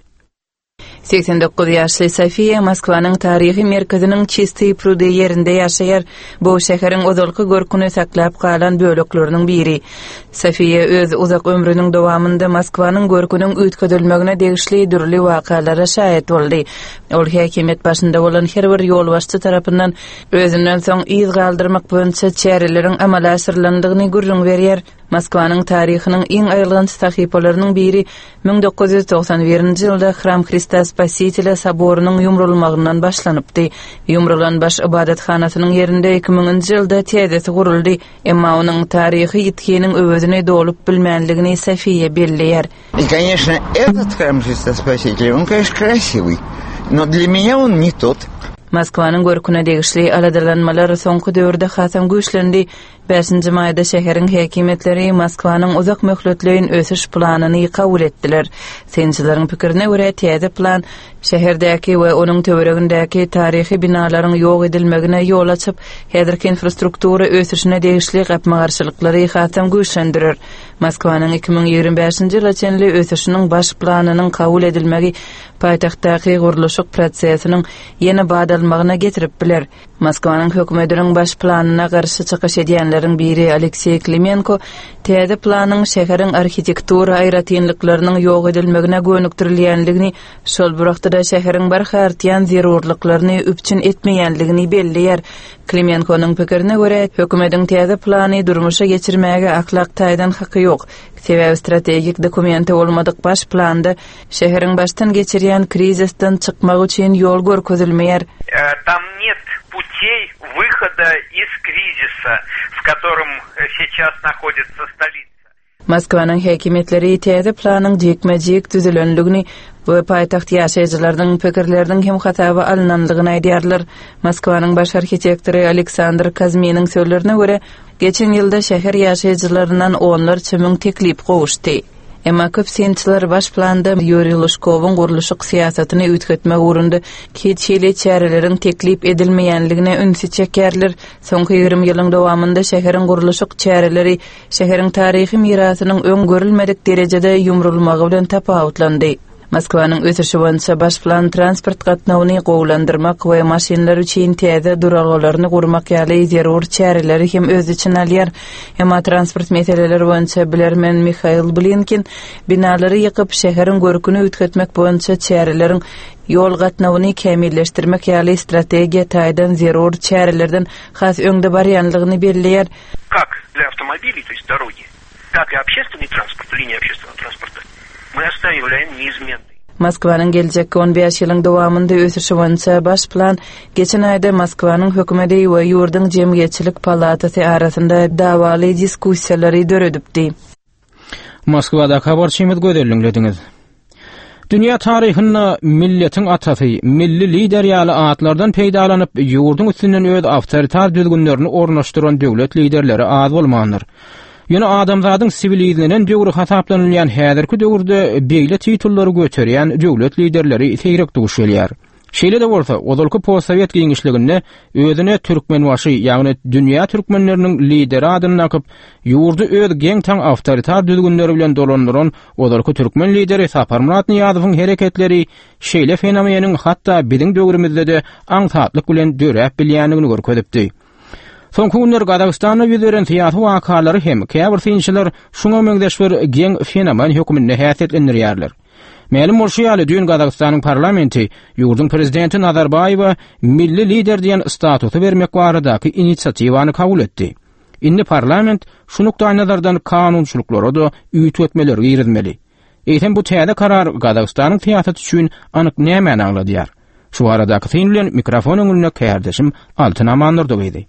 89 ýaşly Sofiýa Moskwanyň taryhy merkeziniň Çistiý prudy ýerinde ýaşaýar. Bu şäheriň ozalky görküni saklap galan bölekleriniň biri. Sofiýa öz uzak ömrüniň dowamynda Moskwanyň görküniň üýtgedilmegine degişli dürli wakalara şaýat boldy. Ol häkimiýet başynda bolan her bir ýolbaşçy tarapyndan özünden soň yz galdyrmak boýunça çäreleriň amala aşyrylandygyny gürrüň berýär. Moskwanyň taryhynyň iň aýylganç sahypalarynyň biri 1991-nji ýylda Hram Hrista Spasitelýa soborynyň ýumrulmagyndan başlanypdy. Ýumrulan baş ybadathanasynyň ýerinde 2000-nji ýylda täzesi guruldy, emma onuň taryhy ýitginiň öwezini dolup bilmänligini Sofiýa belleýär. И, конечно, этот храм Христа Спасителя, он, конечно, красивый, но для меня он не тот. Moskwanyň görküne degişli aladalanmalar soňky döwürde hasam güýçlendi. Bäşinji maýda şäheriň häkimiýetleri Moskwanyň uzak möhletleýin ösüş planyny kabul etdiler. Synçylaryň pikirine görä, täze plan şäherdäki we onuň töweregindäki taryhy binalaryň ýok edilmegine ýol açyp, häzirki infrastruktura ösüşine degişli gapma-garşylyklary hasam güýçlendirer. Moskwanyň 2025-nji ýyla çenli ösüşiniň baş planynyň kabul edilmegi paýtagtdaky gurluşyk prosesiniň ýene bat almagyna getirip biler. Moskwanyň hökümetiniň baş planyna garşy çykyş edýänleriň biri Alekseý Klimenko täze planyň şäheriň arhitektura aýratynlyklarynyň ýok edilmegine gönükdirilýändigini, şol bir wagtda-da şäheriň barha artýan zerurlyklaryny üpjün etmeýändigini belleýär. Klimenkonyň pikirine görä, hökümetiň täze plany durmuşa geçirmäge ahlak taýdan haky ýok. Sebäbi strategik dokumenti bolmadyk baş planda Şäheriň başdan geçirýän krizisden çykmagy üçin ýol görkezilmeýär. Tam net putey wyhoda iz krizisa, w kotorom seças nahoditsa stolitsa. Moskwanyň häkimiýetleri täze planyň jikme-jik düzülendigini we paýtagt ýaşaýjylarynyň pikirleriniň hem hasaba alnandygyny aýdýarlar. Moskwanyň baş arhitektory Aleksandr Kazminiň sözlerine görä, geçen ýylda şäher ýaşaýjylaryndan onlarça müň teklip gowuşdy. Emma köp synçylar baş planda Ýuriý Lužkowyň gurluşyk syýasatyny üýtgetmek ugrunda hiç hili çäreleriň teklip edilmeýänligine ünsi çekýärler. Soňky 20 ýylyň dowamynda şäheriň gurluşyk çäreleri şäheriň taryhy mirasynyň öň görülmedik derejede ýumrulmagy bilen tapawutlandy. Moskwanyň ösüşi boýunça baş plan transport gatnawyny gowulandyrmak we maşynlar üçin täze duralgalaryny gurmak ýaly zerur çäreleri hem öz içine alýar. Emma transport meseleleri boýunça bilermen Mihail Blinkin binalary ýykyp, şäheriň görküni üýtgetmek boýunça çäreleriň ýol gatnawyny kämilleşdirmek ýaly strategiýa taýdan zerur çärelerden has öňde barýanlygyny belleýär. Как для автомобилей, то есть дороги, так и общественный транспорт, линия общественного транспорта мы оставляем неизменной. Moskwanyň geljekki on bäş ýylyň dowamynda ösüşi boýunça baş plan geçen aýda Moskwanyň hökümeti we ýurduň Jemgyýetçilik palatasy arasynda dawaly diskussiýalary döredipdi. Moskwadaky habarçymyz Gözel diňlediňiz. Dünýä taryhynda milletiň atasy, milli lider ýaly atlardan peýdalanyp, ýurduň üstünden öz awtoritar düzgünlerini ornaşdyran döwlet liderleri az bolmandyr. Ýöne adamzadyň siwilizlenen döwri hasaplanylýan häzirki döwürde beýle titullary göterýän döwlet liderleri seýrek duş gelýär. Şeýle-de bolsa, ozalky postsowet giňişliginde özüne Türkmenbaşy, ýagny dünýä türkmenleriniň lideri adyny dakyp, ýurdy öz geň-taň awtoritar düzgünleri bilen dolandyran ozalky türkmen lideri Saparmyrat Nyýazowyň hereketleri şeýle fenomeniň hatda biziň döwrümizde-de aňsatlyk bilen döräp bilýändigini görkezipdi. Soňky günler Gazagystanda ýüz beren syýasy wakalary hem käbir synçylar şuňa meňzeş bir geň fenomen hökmünde häsiýetlendirýärler. Mälim bolşy ýaly, düýn Gazagystanyň parlamenti ýurduň prezidenti Nazarbaýewe milli lider diýen statusy bermek baradaky inisiatiwany kabul etdi. Indi parlament şu nukdaýnazardan kanunçylyklara-da üýtgetmeleri girizmeli. Eýsem bu täze karar Gazagystanyň syýasaty üçin anyk nämäni aňladýar? Şu baradaky syn bilen mikrofon öňünde kärdeşim Altyn Amandurdy gyzy.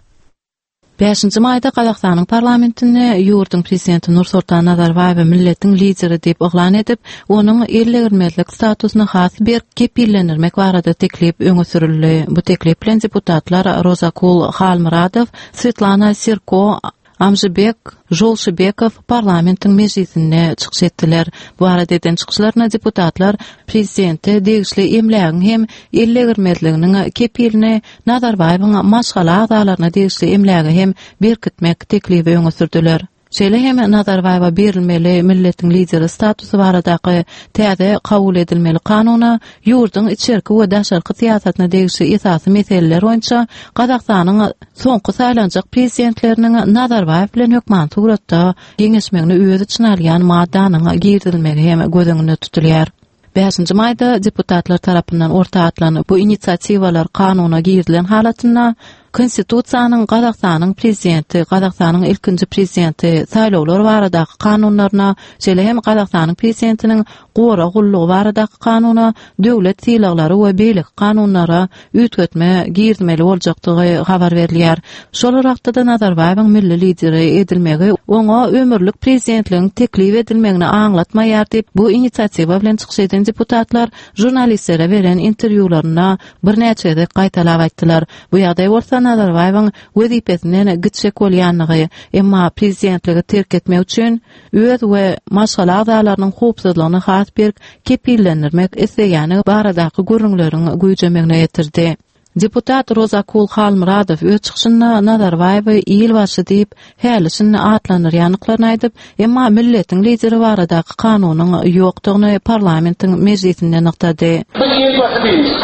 Bäşinji maýda Gazagystanyň parlamentinde ýurduň prezidenti Nursultan Nazarbaýewi milletiň lideri diýip yglan edip, onuň ellegirmezlik statusyny has berk kepillendirmek barada teklip öňe sürüldi. Bu teklip bilen deputatlar Rozakul Halmyradow, Swetlana Sirko, Amžybek Žolşybekow parlamentiň mejlisinde çykyş etdiler. Bu barada eden çykyşlarynda deputatlar prezidente degişli emlägiň hem ellegirmezliginiň kepilini Nazarbaýewiň maşgala agzalaryna degişli emläge hem berkitmek teklibi öňe sürdüler. Şeýle hem Nazarbaýewe berilmeli milletiň lideri statusy baradaky täze kabul edilmeli kanuna ýurduň içerki we daşarky syýasatyna degişli esasy meseleler boýunça Gazagystanyň soňky saýlanjak prezidentleriniň Nazarbaýew bilen hökmany suratda geňeşmegini öz içine alýan maddanyň girizilmegi hem göz öňünde tutulýar. Bäşinji maýda deputatlar tarapyndan orta atylan bu inisiatiwalar kanuna girizilen halatynda Konstitusiýanyň Gazagystanyň Prezidenti, Gazagystanyň ilkinji Prezidenti, saýlawlar baradaky kanunlaryna, şeýle hem Gazagystanyň Prezidentiniň gorag gullugy baradaky kanuna, döwlet sylaglary we beýleki kanunlara üýtgetme girizmeli boljakdygy habar berilýär. Şol bir wagtda-da Nazarbaýewiň milli lideri edilmegi oňa ömürlik prezidentligiň teklip edilmegini aňlatmaýar diýip, bu inisiatiwa bilen çykyş eden deputatlar žurnalistlere beren interwýularynda birnäçe gezek gaýtalap aýtdylar. Bu ýagdaý bolsa Nazarbaýewiň wezipesinden gitjek bolýandygy, emma prezidentligi terk etmek üçin öz we maşgala agzalarynyň howpsuzlygyny has berk kepillendirmek isleýäni baradaky gürrüňleriň güýjemegine getirdi. Deputat Rozakul Halmyradow öz çykyşynda Nazarbaýewi Ilbaşy diýip, häli-şindi atlandyrýandyklaryny aýdyp, emma milletiň lideri baradaky kanunyň ýokdugyny parlamentiň mejlisinde nygtady. Biz Ilbaşy diýmiş.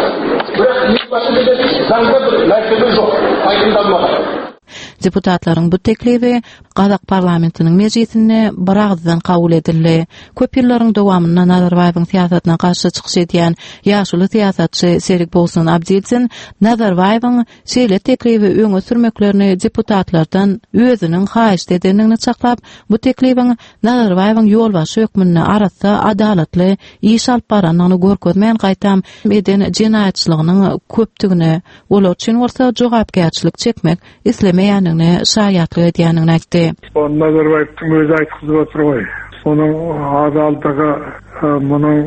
Birak Ilbaşy diýen zaňda bir närse ýok, aýdyňlanmagan. Deputatlaryň bu teklibi Gazak parlamentiniň mejlisinde biragyzdan kabul edildi. Köp ýyllaryň dowamynda Nazarbaýewiň syýasatyna garşy çykyş edýän ýaşuly syýasatçy Serikbolsun Abdilzin Nazarbaýewiň şeýle teklibi öňe sürmeklerini deputatlardan özüniň haýyşt edendigini çaklap, bu teklibiň Nazarbaýewiň ýolbaşçy hökmünde arassa, adalatly iş alyp barandygyny görkezmän, gaýtam eden jenaýatçylygynyň köpdügini, olar üçin bolsa jogapkärçilik çekmek islemeýändigine şaýatlyk edýändigini aýtdy. Ony Nazarbaýewiň özi aýtgyzyp otyr goý. Onuň hadaldygy munuň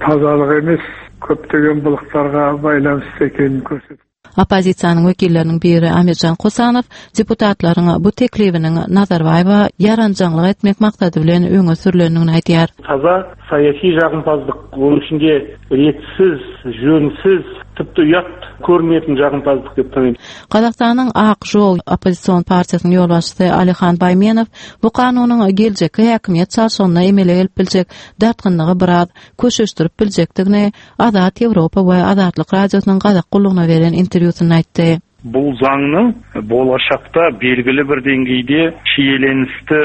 tazalygy emes, köpdegen bylyklarga baýlanyşly ekenini görsetip. Oppozisiýanyň wekilleriniň biri Amirjan Kosanow deputatlaryň bu teklibiniň Nazarbaýewa ýaranjaňlyk etmek maksady bilen öňe sürlendigini aýdýar. Taza saýasy jagympazlyk, onuň içinde retsiz, jönsiz, tipdi uýat körünýetin jagympazlyk dep tanyým. Gazagystanyň Ak žol oppozision partiýasynyň ýolbaşçysy Alihan Baýmenow bu kanunyň geljekki häkimiýet çalşygynda emele gelip biljek dartgynlygy biraz köşeşdirip biljekdigini Azat Ýewropa we Azatlyk Radiosynyň Gazak gullugyna beren interwýusynda aýtdy. Bul zaňnyň bolashakda belgili bir deňgeýde şiýelenisti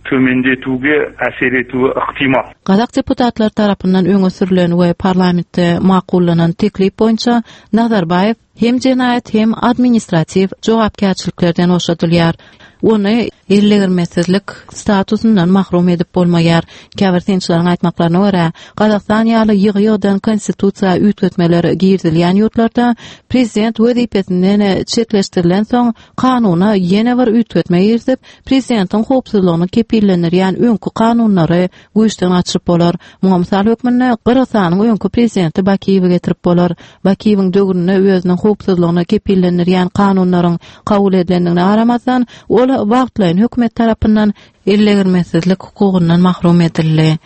tömendetüwge äser etüwi yktymal. Gazak deputatlary tarapyndan öňe sürlen we parlamentde makullanan teklip boýunça Nazarbaýew. hem jenaýat hem administratiw jogapkärçiliklerden boşadylýar. Ony ellegirmesizlik statusyndan mahrum edip bolmaýar. Käbir synçylaryň aýtmaklaryna görä, Gazagystan ýaly ýygy-ýygydan konstitusiýa üýtgetmeler girizilýän ýurtlarda prezident wezipesinden çetleşdirilensoň kanuna ýene bir üýtgetme girizip, prezidentiň howpsuzlygyny kepillendirýän öňki kanunlary güýçden gaçyryp bolar. Muňa mysal hökmünde Gyrgyzystanyň öňki prezidenti Bakiýewi getirip bolar. Bakiýewiň döwründe özüniň howpsuzlygyny kepillendirýän kanunlaryň kabul edilendigine garamazdan, ol wagtlaýyn hökümet tarapyndan ellegirmesizlik hukugyndan mahrum edildi.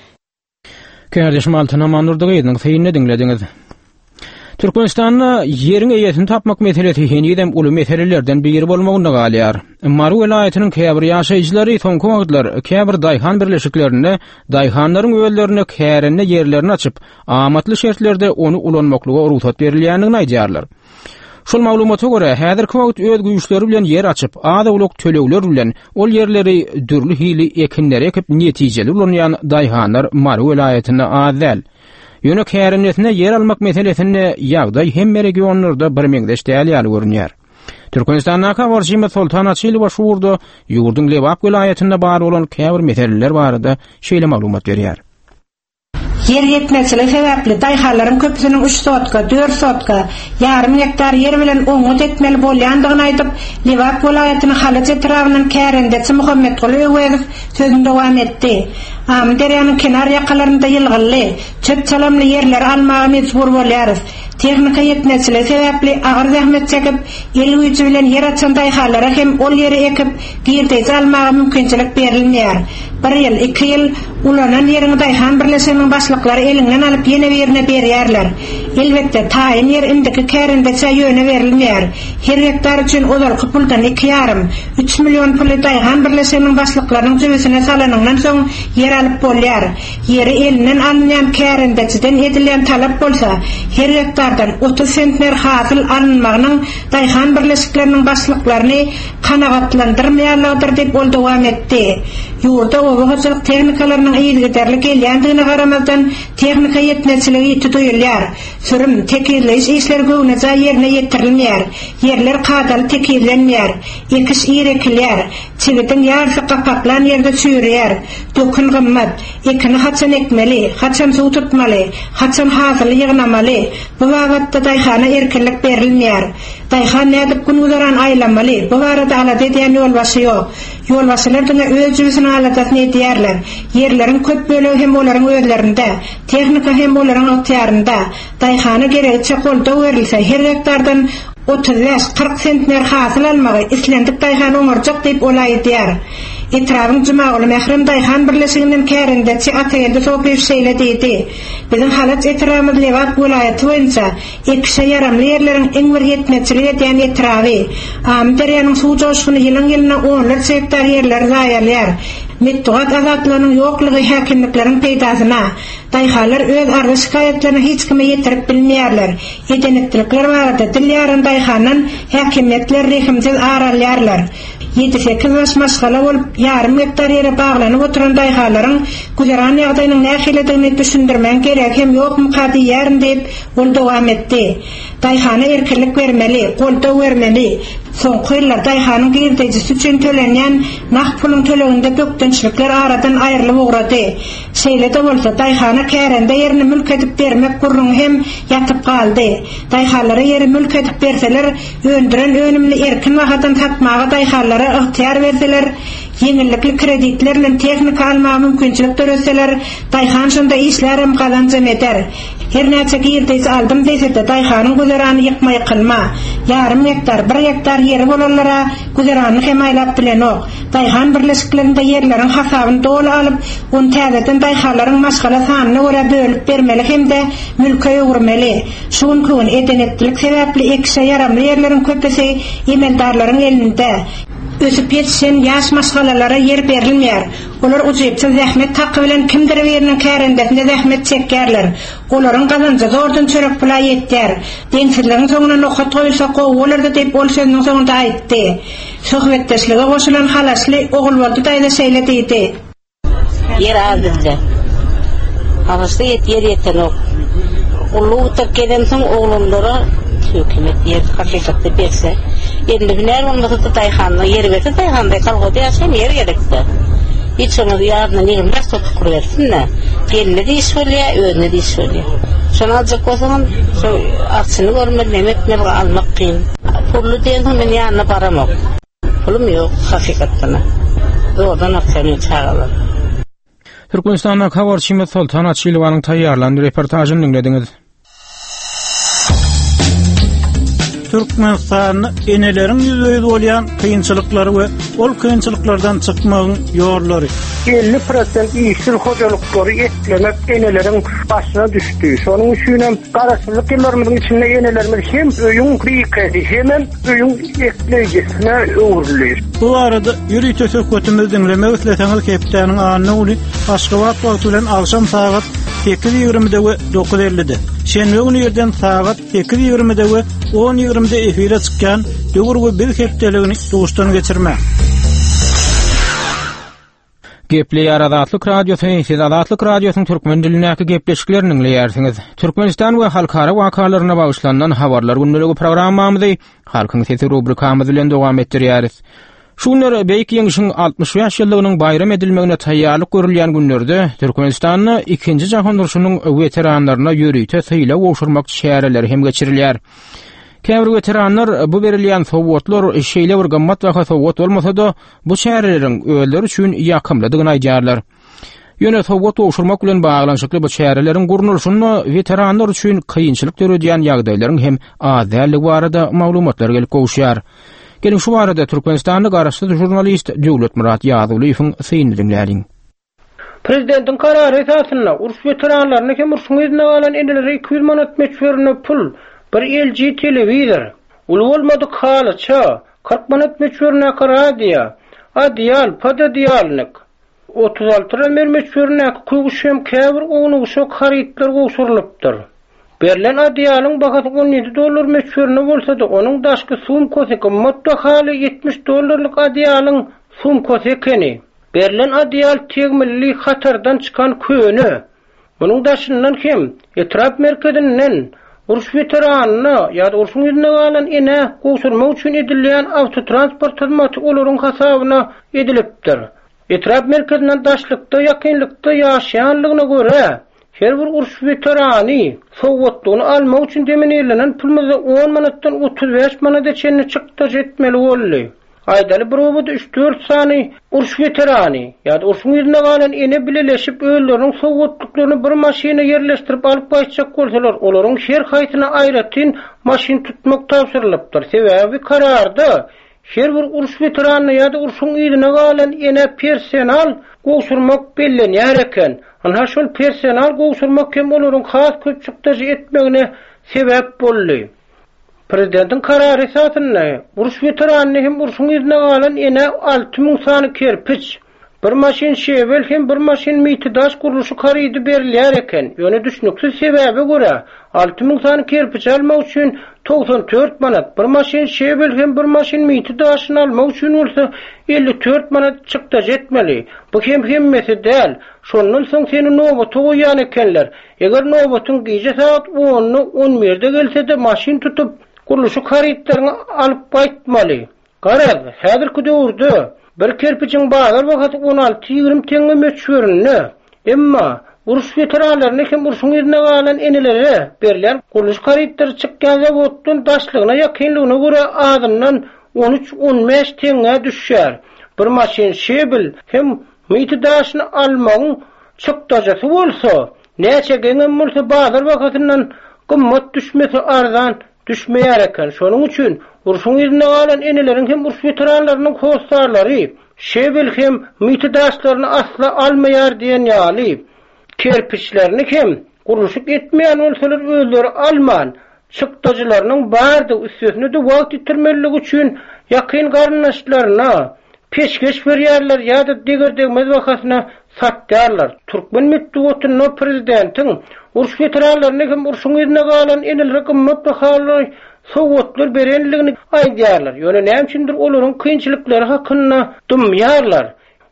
Kärdeşim Altyn Amandurdy gyzynyň synyny diňlediňiz. Türkmenistanda ýeriň eýesini tapmak meselesi henizem uly meselelerden biri bolmagynda galýar. Mary welaýatynyň käbir ýaşaýjylary soňky wagtlar käbir daýhan birleşiklerinde daýhanlaryň özlerine kärende ýerlerini açyp, amatly şertlerde ony ulanmaklyga rugsat berilýändigini aýdýarlar. Şol maglumata görä, häzirki wagt öz güýçleri bilen ýer açyp, az-owlak tölegler bilen ol ýerleri dürli hili ekinleri ekip netijeli ulanýan daýhanlar Mary welaýatynda az däl. Ýöne kärendesine ýer almak meselesinde ýagdaý hemme regionlarda birmeňzeş däl ýaly görünýär. Türkmenistandaky habarçymyz Soltan Açylowa şu ugurda ýurduň Lebap welaýatynda bar bolan käbir meseleler barada şeýle maglumat berýär. Ýer ýetmezçiligi sebäpli daýhanlaryň köpüsiniň üç sotka, dört sotka, ýarym gektar ýer bilen oňňut etmeli bolýandygyny aýdyp, Lebap welaýatynyň Halaç etrabyndan kärendeçi Muhammetguly Öwezow sözüni dowam etdi. Amyderýanyň kenar ýakalarynda ýylgynly, çöp-çalamly ýerleri almaga mejbur bolýarys. Tehnika ýetmezçiligi sebäpli agyr zähmet çekip, el güýji bilen ýer açan daýhanlara hem ol ýeri ekip, girdeji almaga mümkinçilik berilmeýär. Bir ýyl, iki ýyl ulanan ýeriňi daýhan birleşiginiň başlyklary eliňden alyp ýene birine berýärler. Elbetde, taýyn ýer indiki kärendeçä ýöne berilmeýär. Her gektar üçin ozalky puldan iki ýarym, üç million puly daýhan birleşiginiň başlyklarynyň jübüsine salanyňdan soň ýer alyp bolýar. Ýeri elinden alynýan kärendeçiden edilýän talap bolsa, her gektardan 30 sentner hasyl alynmagynyň daýhan birleşikleriniň başlyklaryny kanagatlandyrmaýanlygydyr diýip, ol dowam etdi. Ýurda oba hojalyk tehnikalarynyň yzygiderli gelýändigine garamazdan, tehnika ýetmezçiligi ýiti duýulýar. Sürüm, tekizleýiş işleri göwnejaý ýerine ýetirilmeýär. Ýerler kadaly tekizlenmeýär. Ekiş ir ekilýär. Çigidiň ýarysy gapaklan ýerde çüýreýär. Dökün gymmat. Ekini haçan ekmeli, haçan suw tutmaly, haçan hasyly ýygnamaly, bu babatda daýhana erkinlik berilmeýär. Daýhan nädip gün-güzeran aýlamaly, bu barada alada edýän ýolbaşçy ýok. Ýolbaşçylar diňe öz jübüsiniň aladasyny edýärler. Ýerleriň köp bölegi hem olaryň özlerinde, tehnika hem olaryň ygtyýarynda. Daýhana geregiçe goldaw berilse, her gektardan 35, 40 sentner hasyl almagy islendik daýhan oňarjak diýip, ol aýdýar. Etrabyň Jumaguly Mährem daýhan birleşiginden kärendeçi Atageldi Sopyýew şeýle diýdi, Biziň Halaç etrabymyz Lebap welaýaty boýunça ekişe ýaramly ýerleriň iň bir ýetmezçilik edýän etraby. Amyderýanyň suw joşguny ýylyň-ýylyna onlarça gektar ýerleri zaýalaýar. Metbugat azatlygynyň ýoklugy häkimlikleriň peýdasyna. Daýhanlar öz arza-şikaýatlaryny hiç kime ýetirip bilmeýärler. Eden-etdilikler barada dil ýaran daýhandan häkimiýetler rehimsiz ar alýarlar. Ýedi-sekiz baş maşgala bolup, ýarym gektar ýere baglanyp oturan daýhanlaryň güzeran ýagdaýynyň nähilidigini düşündirmegiň geregi hem ýokmuka diýýärin diýip, ol dowam etdi. Daýhana erkinlik bermeli, goldaw bermeli. Soňky ýyllar daýhanyň girdejisi üçin tölenýän nagt puluň töleginde bökdençlikler aradan aýrylyp ugrady. Şeýle-de bolsa, daýhana kärende ýerini mülk edip bermek gürrüňi hem ýatyp galdy. Daýhanlara ýeri mülk edip berseler, öndüren önümini erkin bahadan satmaga daýhanlara ygtyýar berseler, ýeňillikli kreditler bilen tehnika almaga mümkinçilik döretseler, daýhan şonda işlärem, gazanjam eder. Her näçe girdeji aldym diýse-de, daýhanyň güzerany ýykma-ýykylma. Ýarym gektar, bir gektar ýeri bolanlar-a güzeranyny hem aýlap bilenok. Daýhan birleşiklerinde ýerleriň hasabyny doly alyp, ony täzeden daýhanlaryň maşgala sanyna görä bölüp bermeli hem-de mülke öwürmeli. Şu günki gün eden-etdilik sebäpli ekişe ýaramly ýerleriň köpüsi emeldarlaryň elinde. Ösüp ýetişen ýaş maşgalalara ýer berilmeýär. Olar ujypsyz zähmet haky bilen kimdir biriniň kärendesinde zähmet çekýärler. Olaryň gazanjy zordan çörek pula ýetýär. Deňsizligiň soňuna nokat goýulsa gowy bolardy diýip, ol sözüniň soňunda aýtdy. Söhbetdeşlige goşulan halaçly Ogulboldy daýza şeýle diýdi. Ýer az bizde. Halaçda ýet ýer ýetenok. Gulluk bitirip gelemsoň oglanlara. Hökümet ýer hakykatda berse, elinde hünär bolmasa-da daýhanda ýer berse daýhanda kolhozda ýaşaýan ýer gerekde. Hiç bolmasa ýadyndan 25 sotuk bersin-de. Geline-de iş bolýar, özüne-de iş bolýar. Şony aljak bolsaňam, şo arçyny görmeli, neme etmeli, almak kyn. Pully diýensoň men ýanyna baramok. Pulum ýok hakykatdan-a. Zordan akýar meň çagalarym. Türkmenistandaky habarçymyz Soltan Açylowanyň taýýarlan reportažyny diňlediňiz. Türkmenistanda eneleriň ýüzbe-ýüz bolýan kynçylyklary we ol kynçylyklardan çykmagyň ýollary. 50 prosent işsiz hojalyklary eklemek eneleriň başyna düşdi. Şonuň üçinem Garaşsyzlyk ýyllarymyzyň içinde enelerimiz hem öýüň bikesi, hemem öýüň ekleýjisine öwrüldi. Bu barada ýörite söhbetimizi diňlemek isleseňiz hepdäniň anna güni Aşgabat wagty bilen agşam sagat 8:20-de we 9:50-de, şenbe güni irden sagat 8:20-de we 10:20-de efire çykýan Döwür we biz hepdeligini duşdan geçirmäň. Gepleýär Azatlyk Radiosy, Siz Azatlyk Radiosynyň türkmen dilindäki gepleşiklerini diňleýärsiňiz. Türkmenistan we halkara wakalaryna bagyşlanylan habarlar gündeligi programmamyzy Halkyň sesi rubrikamyz bilen dowam etdirýäris. Şu günler Beýik Ýeňşiň 65 ýyllygynyň baýram edilmegine taýýarlyk görülýän günlerde Türkmenistanda Ikinji jahan urşunyň weteranlaryna ýörite sylag gowşurmak çäreleri hem geçirilýär. Käbir weteranlar bu berilýän sowgatlar şeýle bir gymmatbaha sowgat bolmasa-da, bu çäreleriň özleri üçin ýakymlydygyny aýdýarlar. Ýöne sowgat gowşurmak bilen baglanyşykly bu çäreleriň gurnalyşynda weteranlar üçin kynçylyk döredýän ýagdaýlaryň hem az däldigi barada maglumatlar gelip gowuşýar. Geliň şu barada Türkmenistanly garaşsyz žurnalist Döwletmyrat Ýazgulyýewiň synyny diňläliň. Prezidentiň karary esasynda, uruş weteranlaryna hem urşuň yzynda galan enelere 200 manat möçberinde pul, bir LG telewizor, uly bolmadyk halyça, 40 manat möçberindäki radio, adyýal, pododeýalnik, 36 razmer möçberindäki köwüş hem käbir ownuk-uşak harytlar gowşurylypdyr. Berlen adyýalyň bahasy 17 dollar möçberinde bolsa-da, onuň daşky sumkasy gymmat bahaly 70 dollarlyk adyýalyň sumkasy ekeni. Berlen adyýal tegmilli hatardan çykan köne. Munuň daşyndan hem etrap merkezinden uruş weteranyna ýa-da urşuň yzynda galan enä gowşurmak üçin edilýän awtotransport hyzmaty olaryň hasabyna edilipdir. Etrap merkezinden daşlykda, ýakynlykda ýaşaýanlygyna görä, her bir uruş weterany sowgatlygyny almak üçin deminirlenen pulumyzda on manatdan 35 manada çenli çykdajy etmeli boldy. Aýdaly bir obada üç-dört sany uruş weterany ýa-da urşuň yzynda galan ene bileleşip özleriniň sowgatlyklaryny bir maşyna ýerleşdirip alyp gaýtjak bolsalar, olaryň her haýsyna aýratyn maşyn tutmak tabşyrylypdyr. Sebäbi kararda her bir uruş weteranyna ýa-da urşuň yzyna galan enä personal gowşurmak bellenýär eken. Ynha şol personal gowşurmak hem olaryň has köp çykdajy etmegine sebäp boldy. Prezidentiň karary esasynda, uruş weteranyna hem urşuň yzynda galan enä 6000 sany kerpiç, bir maşyn şebel hem bir maşyn miti daş gurluşyk harydy berilýär eken. Ýöne düşnüksiz sebäbe görä, 6000 sany kerpiç almak üçin 94 manat, bir maşyn şebel hem bir maşyn miti daşyny almak üçin bolsa 54 manat çykdajy etmeli. Bu hem hemmesi däl. Şondan soň seni nobata goýýan ekenler. Eger nobatyň gije sagat onda, on birde gelse-de maşyn tutup, gurluşyk harytlaryňy alyp gaýtmaly. Garaz, häzirki döwürde bir kerpijiň bazar bahasy on alty-ýigrimi teňňe möçberinde. Emma, uruş weteranlaryna hem urşuň yzynda galan enelere berilýän gurluşyk harytlary çykýan zawoddan daşlygyna ýakynlygyna görä azyndan on üç-on bäş teňňä düşýär. Bir maşyn şebel hem Miti daşyny almagyň çykdajysy bolsa, näçe geňem bolsa bazar bahasyndan gymmat düşmese arzan düşmeýär eken. Şonuň üçin urşuň yzynda galan eneleriň hem uruş weteranlarynyň hossarlary şebel hem miti daşlaryny asla almaýar diýen ýaly, kerpiçlerini hem gurluşyk etmeýän bolsalar özleri alman, çykdajylarynyň bardygy, üstesine-de wagt ýitirmezlik üçin ýakyn garyndaşlaryna peşgeş berýärler ýa-da deger-degmez bahasyna satýarlar. Türkmen metbugatynda prezidentiň uruş weteranlaryna hem urşuň yzynda galan enelere gymmat bahaly sowgatlar berendigini aýdýarlar. Ýöne näme üçindir olaryň kynçylyklary hakynda dymýarlar.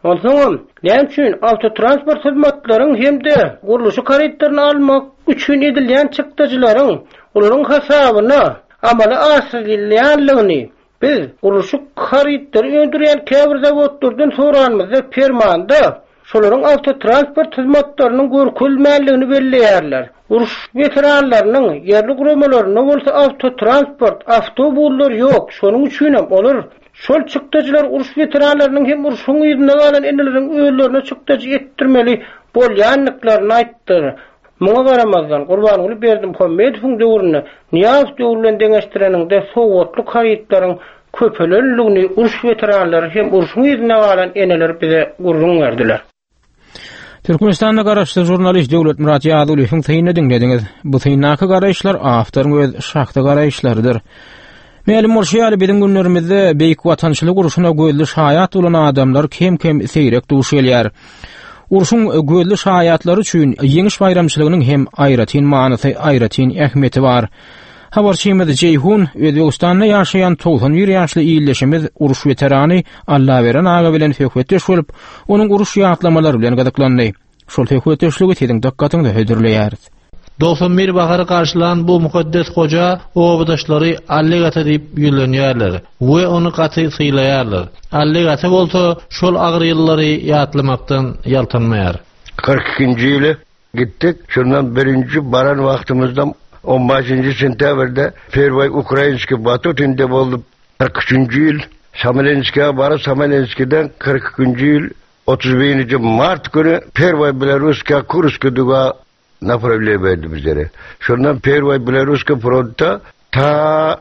Onsoňam, näme üçin awtotransport hyzmatlaryň hem-de gurluşyk harytlaryny almak üçin edilýän çykdajylaryň olaryň hasabyna? amala aşyrylýanlygyny biz gurluşyk harytlary öndürýän käbir zawodlardan soranymyzda permanda şolaryň awtotransport hyzmatlarynyň görkezilmänligini belleýärler. Uruş weteranlarynyň ýerli guramalarynda bolsa awtotransport, awtobuslar ýok, şonuň üçinem olar şol çykdajylary uruş weteranlarynyň hem urşuň yzynda galan eneleriň özlerine çykdajy etdirmeli bolýandyklaryny aýtdylar. Muňa garamazdan, Gurbanguly Berdimuhamedowyň döwründe Nyýazow döwri bilen deňeşdireniňde sowgatlyk harytlaryň köpelendigini uruş weteranlary hem urşuň yzynda galan eneler bize gürrüň berdiler. Türkmenistanda garaşsyz žurnalist Döwletmyrat Ýazulyýewiň synyny diňlediňiz. Bu syndaky garaýyşlar awtoryň öz şahsy garaýyşlarydyr. Mälim bolşy ýaly, biziň günlerimizde Beýik Watançylyk urşuna gözli şaýat bolan adamlar kem-kem seýrek duş gelýär. Urşuň gözli şaýatlary üçin Ýeňiş baýramçylygynyň hem aýratyn manysy, aýratyn ähmiýeti bar. Habarçymyz Jeýhun Özbegistanda ýaşaýan 91 ýaşly ildeşimiz uruş weterany Allaberen aga bilen söhbetdeş bolup, onuň uruş ýatlamalary bilen gyzyklandy. Şol söhbetdeşligi siziň dykgatyňyza hödürleýäris. 91 bahary garşylan bu mukaddes goja obadaşlary Allek ata diýip ýüzlenýärler we ony gaty sylaýarlar. Allek ata bolsa şol agyr ýyllary ýatlamakdan ýaltanmaýar. 42-nji ýyly gitdik. Şondan birinji baran wagtymyzda on başynjy sentýabrda Perwoý Ukrainskiý Batutinde bolduk. 43-nji ýyl Smolenskige baryp, Smolenskiden 42-nji ýyl 31-nji mart güni Perwoý Belorussiýa Kurskiý duga naprawleniýe berdi bizlere. Şondan Perwoý Belorussiýa frontda ta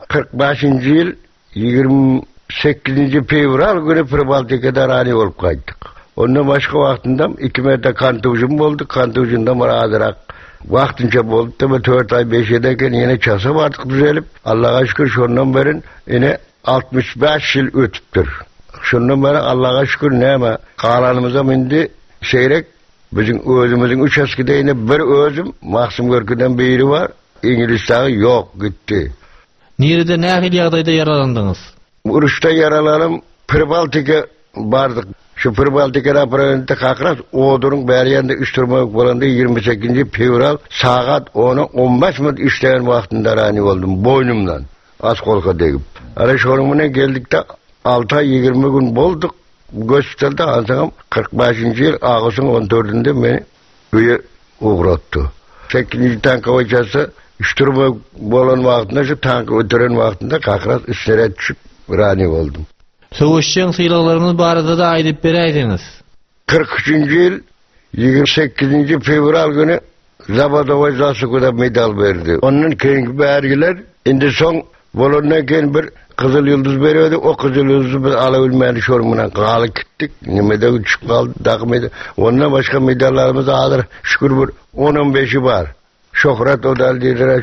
45-nji ýyl 28-nji fewral güni Pribaltikada rani bolup gaýtdyk. Ondan başga wagtynda iki merte kontuzim boldy. Kontuzimden bir azyrak wagtynça boldy da bir 4 aý 5 ýyl eken ýene çasa bardyk düzelip. Allaha şükür şondan beri ine 65 ýyl ötüpdir. Şondan beri Allaha şükür näme galanymyzam indi seýrek biziň özümiziň üç askide ine bir özüm Maksym Görküden biri bar. Iňlis dagy ýok gitdi. Nirede nähili ýagdaýda ýaralandyňyz? Uruşda ýaralanym Pribaltika bardyk. Şu Pribaltika naprowentde kakras Oduryň bäri ýanynda üç turmak bolanda 28-nji fewral sagat ona 15 minut işleýän wagtynda rani boldum boýnumdan oskolka degip. Ana şonuň bilen geldik-de alty aý 20 gün bolduk gospitalda ansoňam 45-nji ýyl awgustyň 14-ünde meni öýe ugratdy. Sekizinji tankowy çasa şturma bolan wagtynda şu tanky ötüren wagtynda kakras üstüne düşüp rani boldum. Söweşjeň sylaglaryňyz barada-da aýdyp beräýseňiz. 43-nji ýyl 28-nji fewral güni Zabadowa Zasukuda medal berdi. Ondan keyinki bergiler indi soň bolandan keyin bir Gyzyl Ýyldyz berýärdi. O Gyzyl Ýyldyzy biz ala bilmän şonuň bilen galyp gitdik. Nimede düşüp galdy dagy medal. Ondan başga medallarymyz hazir şükür bir 10-15-i bar. Şöhrat odal diýdiler,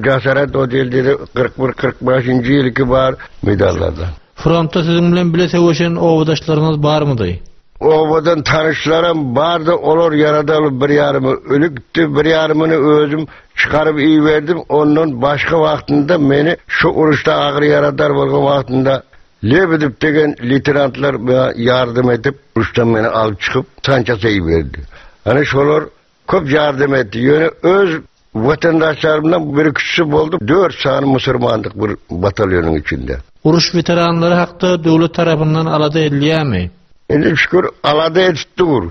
Jasarat odel diýdi, 41-45-nji ýylky bar medallardan. Frontda siziň bilen bile söweşen obadaşlaryňyz barmydy? Obadan tanyşlarym bardy, olar ýaradaly bir ýarymy ölüpdi, bir ýarymyny özüm çykaryp iberdim. Ondan başga wagtynda meni şu uruşda agyr ýaradar bolgan wagtynda Lebedew degen leýtenantlar maňa ýardam edip, uruşdan meni alyp çykyp, sançasa iberdi. Ana şolar Köp ýardam etdi. Ýöne öz watandaşlarymdan bir ikisi boldy. Dört sany musurmandyk bir batalýonyň içinde. Uruş weteranlary hakda döwlet tarapyndan alada edilýärmi? Indi şükür alada edip dur.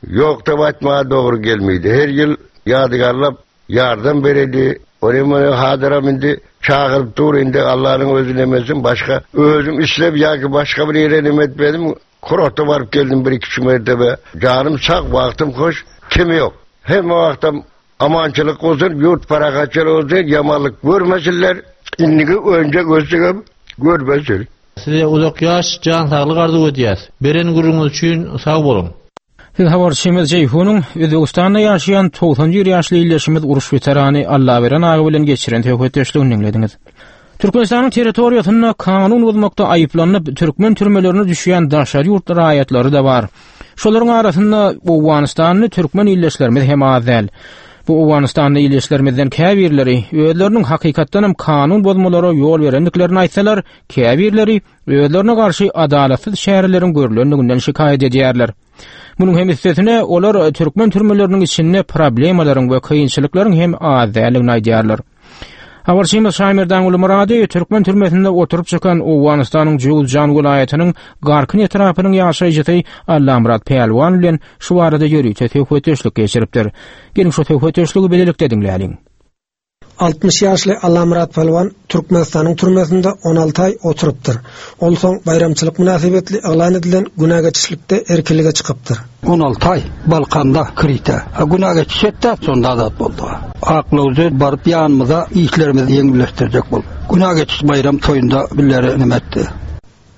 Ýok diýip aýtmaga dogry gelmeýdi. Her ýyl ýadygärlap ýardam beredi. Ony muny hazyram indi çagyryp dur. Indi Allanyň özi nemesin başga özüm islep ýa-ki başga bir ýere neme etmedim. Kurorta baryp geldim bir iki üç mertebe. Janym sag, wagtym hoş, kemi ýok. Hemme wagtam amançylyk bolsun, ýurt parahatçylyk bolsun, ýamanlyk görmesinler. Indiki önje gözlegem görmesin. Size uzak ýaş, jan saglyk arzuw edýäs. Beren gürrüňiz üçin sag boluň. Siz habarçymyz Jeýhunyň Özbegistanda ýaşaýan 91 ýaşly ildeşimiz uruş weterany Allaberen aga bilen geçiren söhbetdeşligini diňlediňiz. Türkmenistanyň territoriýasynda kanun bozmakda aýyplanyp, türkmen türmelerine düşýän daşary ýurt raýatlary-da bar. Şolaryň arasynda owganystanly türkmen ildeşlerimiz hem az däl. Bu owganystanly ildeşlerimizden käbirleri özleriniň hakykatdanam kanun bozmalara ýol berendiklerini aýtsalar, käbirleri özlerine garşy adalatsyz çäreleriň görlendiginden şikaýat edýärler. Munuň hem üstesine, olar türkmen türmeleriniň içinde problemalaryň we kynçylyklaryň hem az däldigini aýdýarlar. Habarçymyz Şaýmerdan Gulmyrady türkmen türmesinde oturyp çykan Owganystanyň Jöwüzjan welaýatynyň Garkyn etrapynyň ýaşaýjysy Allamyrat Pälwan bilen şu barada ýörite söhbetdeşlik geçiripdir. Geliň şu söhbetdeşligi bilelikde diňläliň. 60 ýaşly Allamyrat Pälwan Türkmenistanyň türmesinde 16 aý oturypdyr. Ol soň baýramçylyk mynasybetli yglan edilen günä geçişlikde erkinlige çykypdyr. 16 aý Balkanda krite. A günä geçiş etdi, şonda azat boldy. Aklawjy baryp ýanymyza işlerimizi ýeňilleşdirjek bolup. Günä geçiş baýram toýunda billere neme etdi.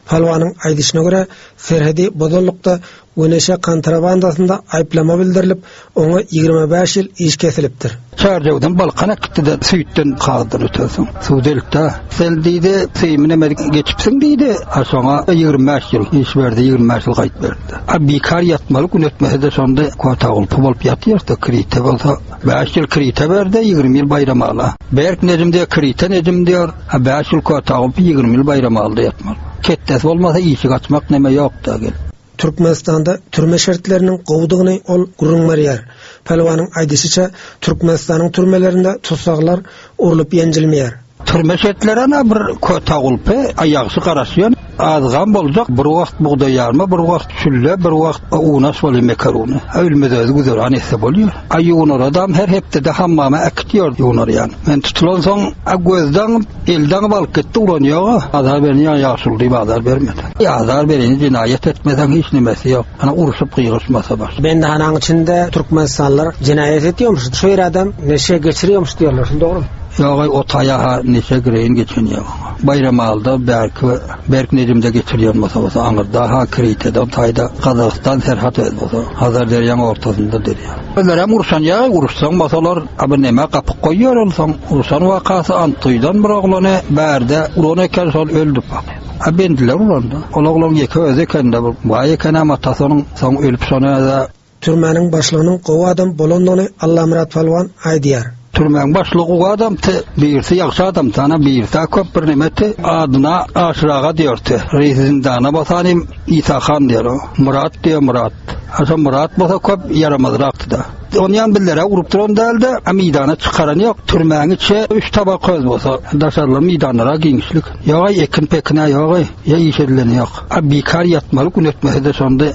Pälwanyň aýdyşyna görä, serhedi bozanlykda we neşe kontrabandasynda aýyplama bildirilip, oňa 25 ýyl iş kesilipdir. Çärjewden Balkana gitdi-de, süýtden kagyzdan ötensoň, suw delipdi. Sen diýdi, syýmy neme geçipsiň diýdi. A şoňa 25 ýyl iş berdi, 25 ýyl gaýyt berdi. A bikar ýatmaly gün ötmese-de şonda kota gulpy bolup ýatýardy, krite bolsa 5 ýyl krite berdi, 20 ýyl Baýramala. Berk Nejim diýýär, krite Nejim diýýär. A 5 ýyl kota gulpy, 20 ýyl Baýramalda ýatmaly. Ketdesi bolmasa işi gaçmak neme ýok-da gel. Türkmenistanda türme şertleriniň gowudygyny ol gürrüň berýär. Pälwanyň aýdyşyça, Türkmenistanyň türmelerinde tussaglar urlup-ýenjilmeýär. Türme şertleri ana bir köte gulpy, a ýagşy garaşýan, azgam boljak, bir wagt bugdaý ýarma, bir wagt şülle, bir wagt unaş bolýar mekaruny. A ölmez özi güzeran etse bolýar. A ýuwunaradam her hepdede hammama äkitýär ýuwunarýan. Men tutulansoň, a gözden Elden alyp gitdi ulan ýoga. Azar bereni ýa ýaşuly diýip azar bermedi. Azar bereni jenaýat etmeseň hiç nemesi ýok. Ana urşup gygyryşmasa baş. Bendihanaň içinde türkmenistanlylar jenaýat etýärmiş. Şu ýere adam neşe geçirýärmiş diýýärler. Şul dogrymy? Ýogaý o taýa-ha neşe gireýin geçen ýok. Baýramalyda bärki Berk Nejimde geçirýän bolsa bolsa aňyrda-ha Kritede o taýda Gazagystan serhat özi bolsa Hazar derýaň ortasynda derýa. Özlerem urşan ýa uruşsaň bolsalar a bir neme gapyk goýýar ol soň urşan wakasy Antuydan bir oglany bärde uran eken şol öldi bak. A bendiler uranda. Ol oglan ýeke özi ekende bir baý ekenem atasy onuň soň ölüp şony özä. Türmäniň başlygynyň gowy adam bolandygyny Allamyrat Pälwan aýdýar. Türmäň başlygy gowy adamdy, birisi ýagşy adamdy, ana birisi-ä köp bir nemeti adyna Aşyr aga diýerdi. Reýsi zindana basanym Isa han diýer o. Myrat diýer Myrat. A şo Myrat bolsa köp ýaramazrakdy-da. Onýan bizlere urup duran däldi, a meýdana çykaran ýok. Türmäň içi üç tabak köz bolsa, daşarlar meýdanlara giňişlik. Ýog-aý ekin-pekin-ä ýog-aý, ýa iş edileni ýok. A bikar ýatmaly gün ötmese-de şonda.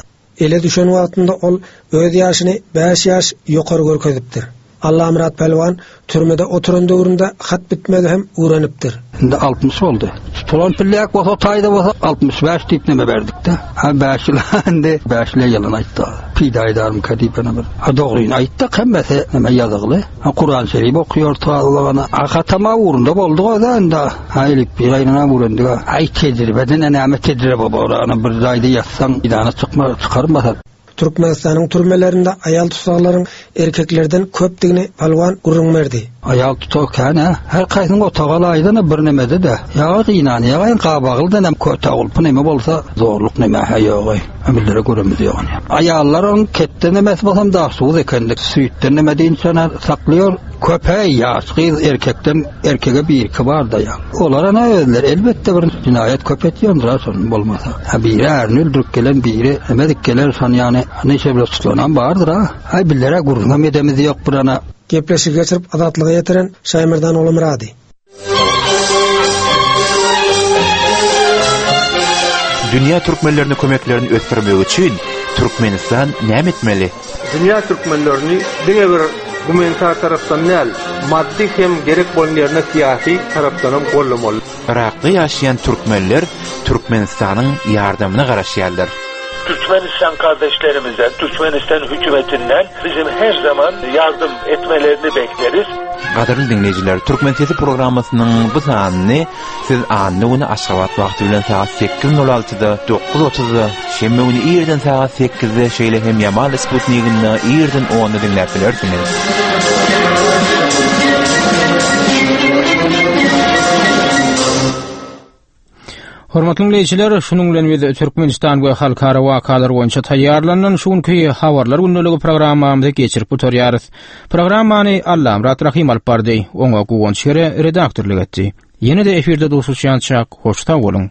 Ele düşen wagtynda ol öz ýaşyny bäş ýaş ýokary görkezipdir. Allamyrat pälwan türmede oturan döwründe hat bitmegi hem öwrenipdir. Indi 60 boldy. Tutulan pilläk bolsa taýda bolsa 65 diýip neme berdik-de. Ha 5 ýyl indi 5 ýyl ýalan aýtdy. Pida aýdarmyka diýip ene bir. Ha dogryny aýtdyk hemmesi neme ýazygly. Ha Kuran şerif okuýar tazlagana. Ha hatama ugrunda boldy o-da indi. Ha elip bir aýyna öwrendik. Aý tejribeden näme tejribe bor. Ana bir jaýda ýatsaň meýdana çykma çykarmasa. Türkmenistanyň türmelerinde aýal tussaglaryň erkeklerden köpdügini Pälwan gürrüň berdi. Aýal tussag kän-ä. Her kaýsynyň otagy alaýdan-a bir nemede-de. Ýa gynanýagaýyn gabagylydan hem köte gulpy neme bolsa zorluk neme-hä ýog-aý. Ömürlere göremiz ýok ony. Aýallar oň ketde nemesi bolsam daşoguz ekendik. Süýtden neme diýinçene saklaýar. Köp-ä ýaş gyz erkekden erkege birki bar-da ýa. Olar ana özleri elbetde bir jenaýat köp etýändir-a şon bolmasa. Ha biri ärini öldürip gelen biri emedik geler şon ýany neşe bilen tutlanam bardyr-a. Aý bizler-ä gürrüňem edemiz ýok bir ana. Gepleşigi geçirip Azatlyga ýetiren Şaýmerdan Ogulmyrady. Dünýä türkmenlerine kömeklerini ösdürmek üçin Türkmenistan näme etmeli? Dünýä türkmenlerini diňe bir gumanitar tarapdan däl, maddy hem gerek bolan ýerinde syýasy tarapdanam goldamaly. Yrakda ýaşaýan türkmenler Türkmenistanyň ýardamyna garaşýarlar. Türkmenistan kardeşlerimizden, Türkmenistan hükümetinden bizim her zaman yardım etmelerini bekleriz. Gadyrly diňleýjiler, Türkmen sesi programmasynyň bu sanyny siz anna güni Aşgabat wagty bilen sagat 8.06-da, 9.30-da, şenbe güni irden sagat 8-de, şeýle hem Ýamal Sputniginde irden 10-da diňläp bilersiňiz. Hormatly diňleýjiler, şunuň bilen biz Türkmenistan we halkara wakalar boýunça taýýarlanylan şu günki Habarlar gündeligi programmamyzy geçirip gutarýarys. Programmany Allamyrat Rahym alyp bardy, oňa Guwanç Kere redaktorlyk etdi. Ýene-de efirde duşuşýançak, hoş sag boluň!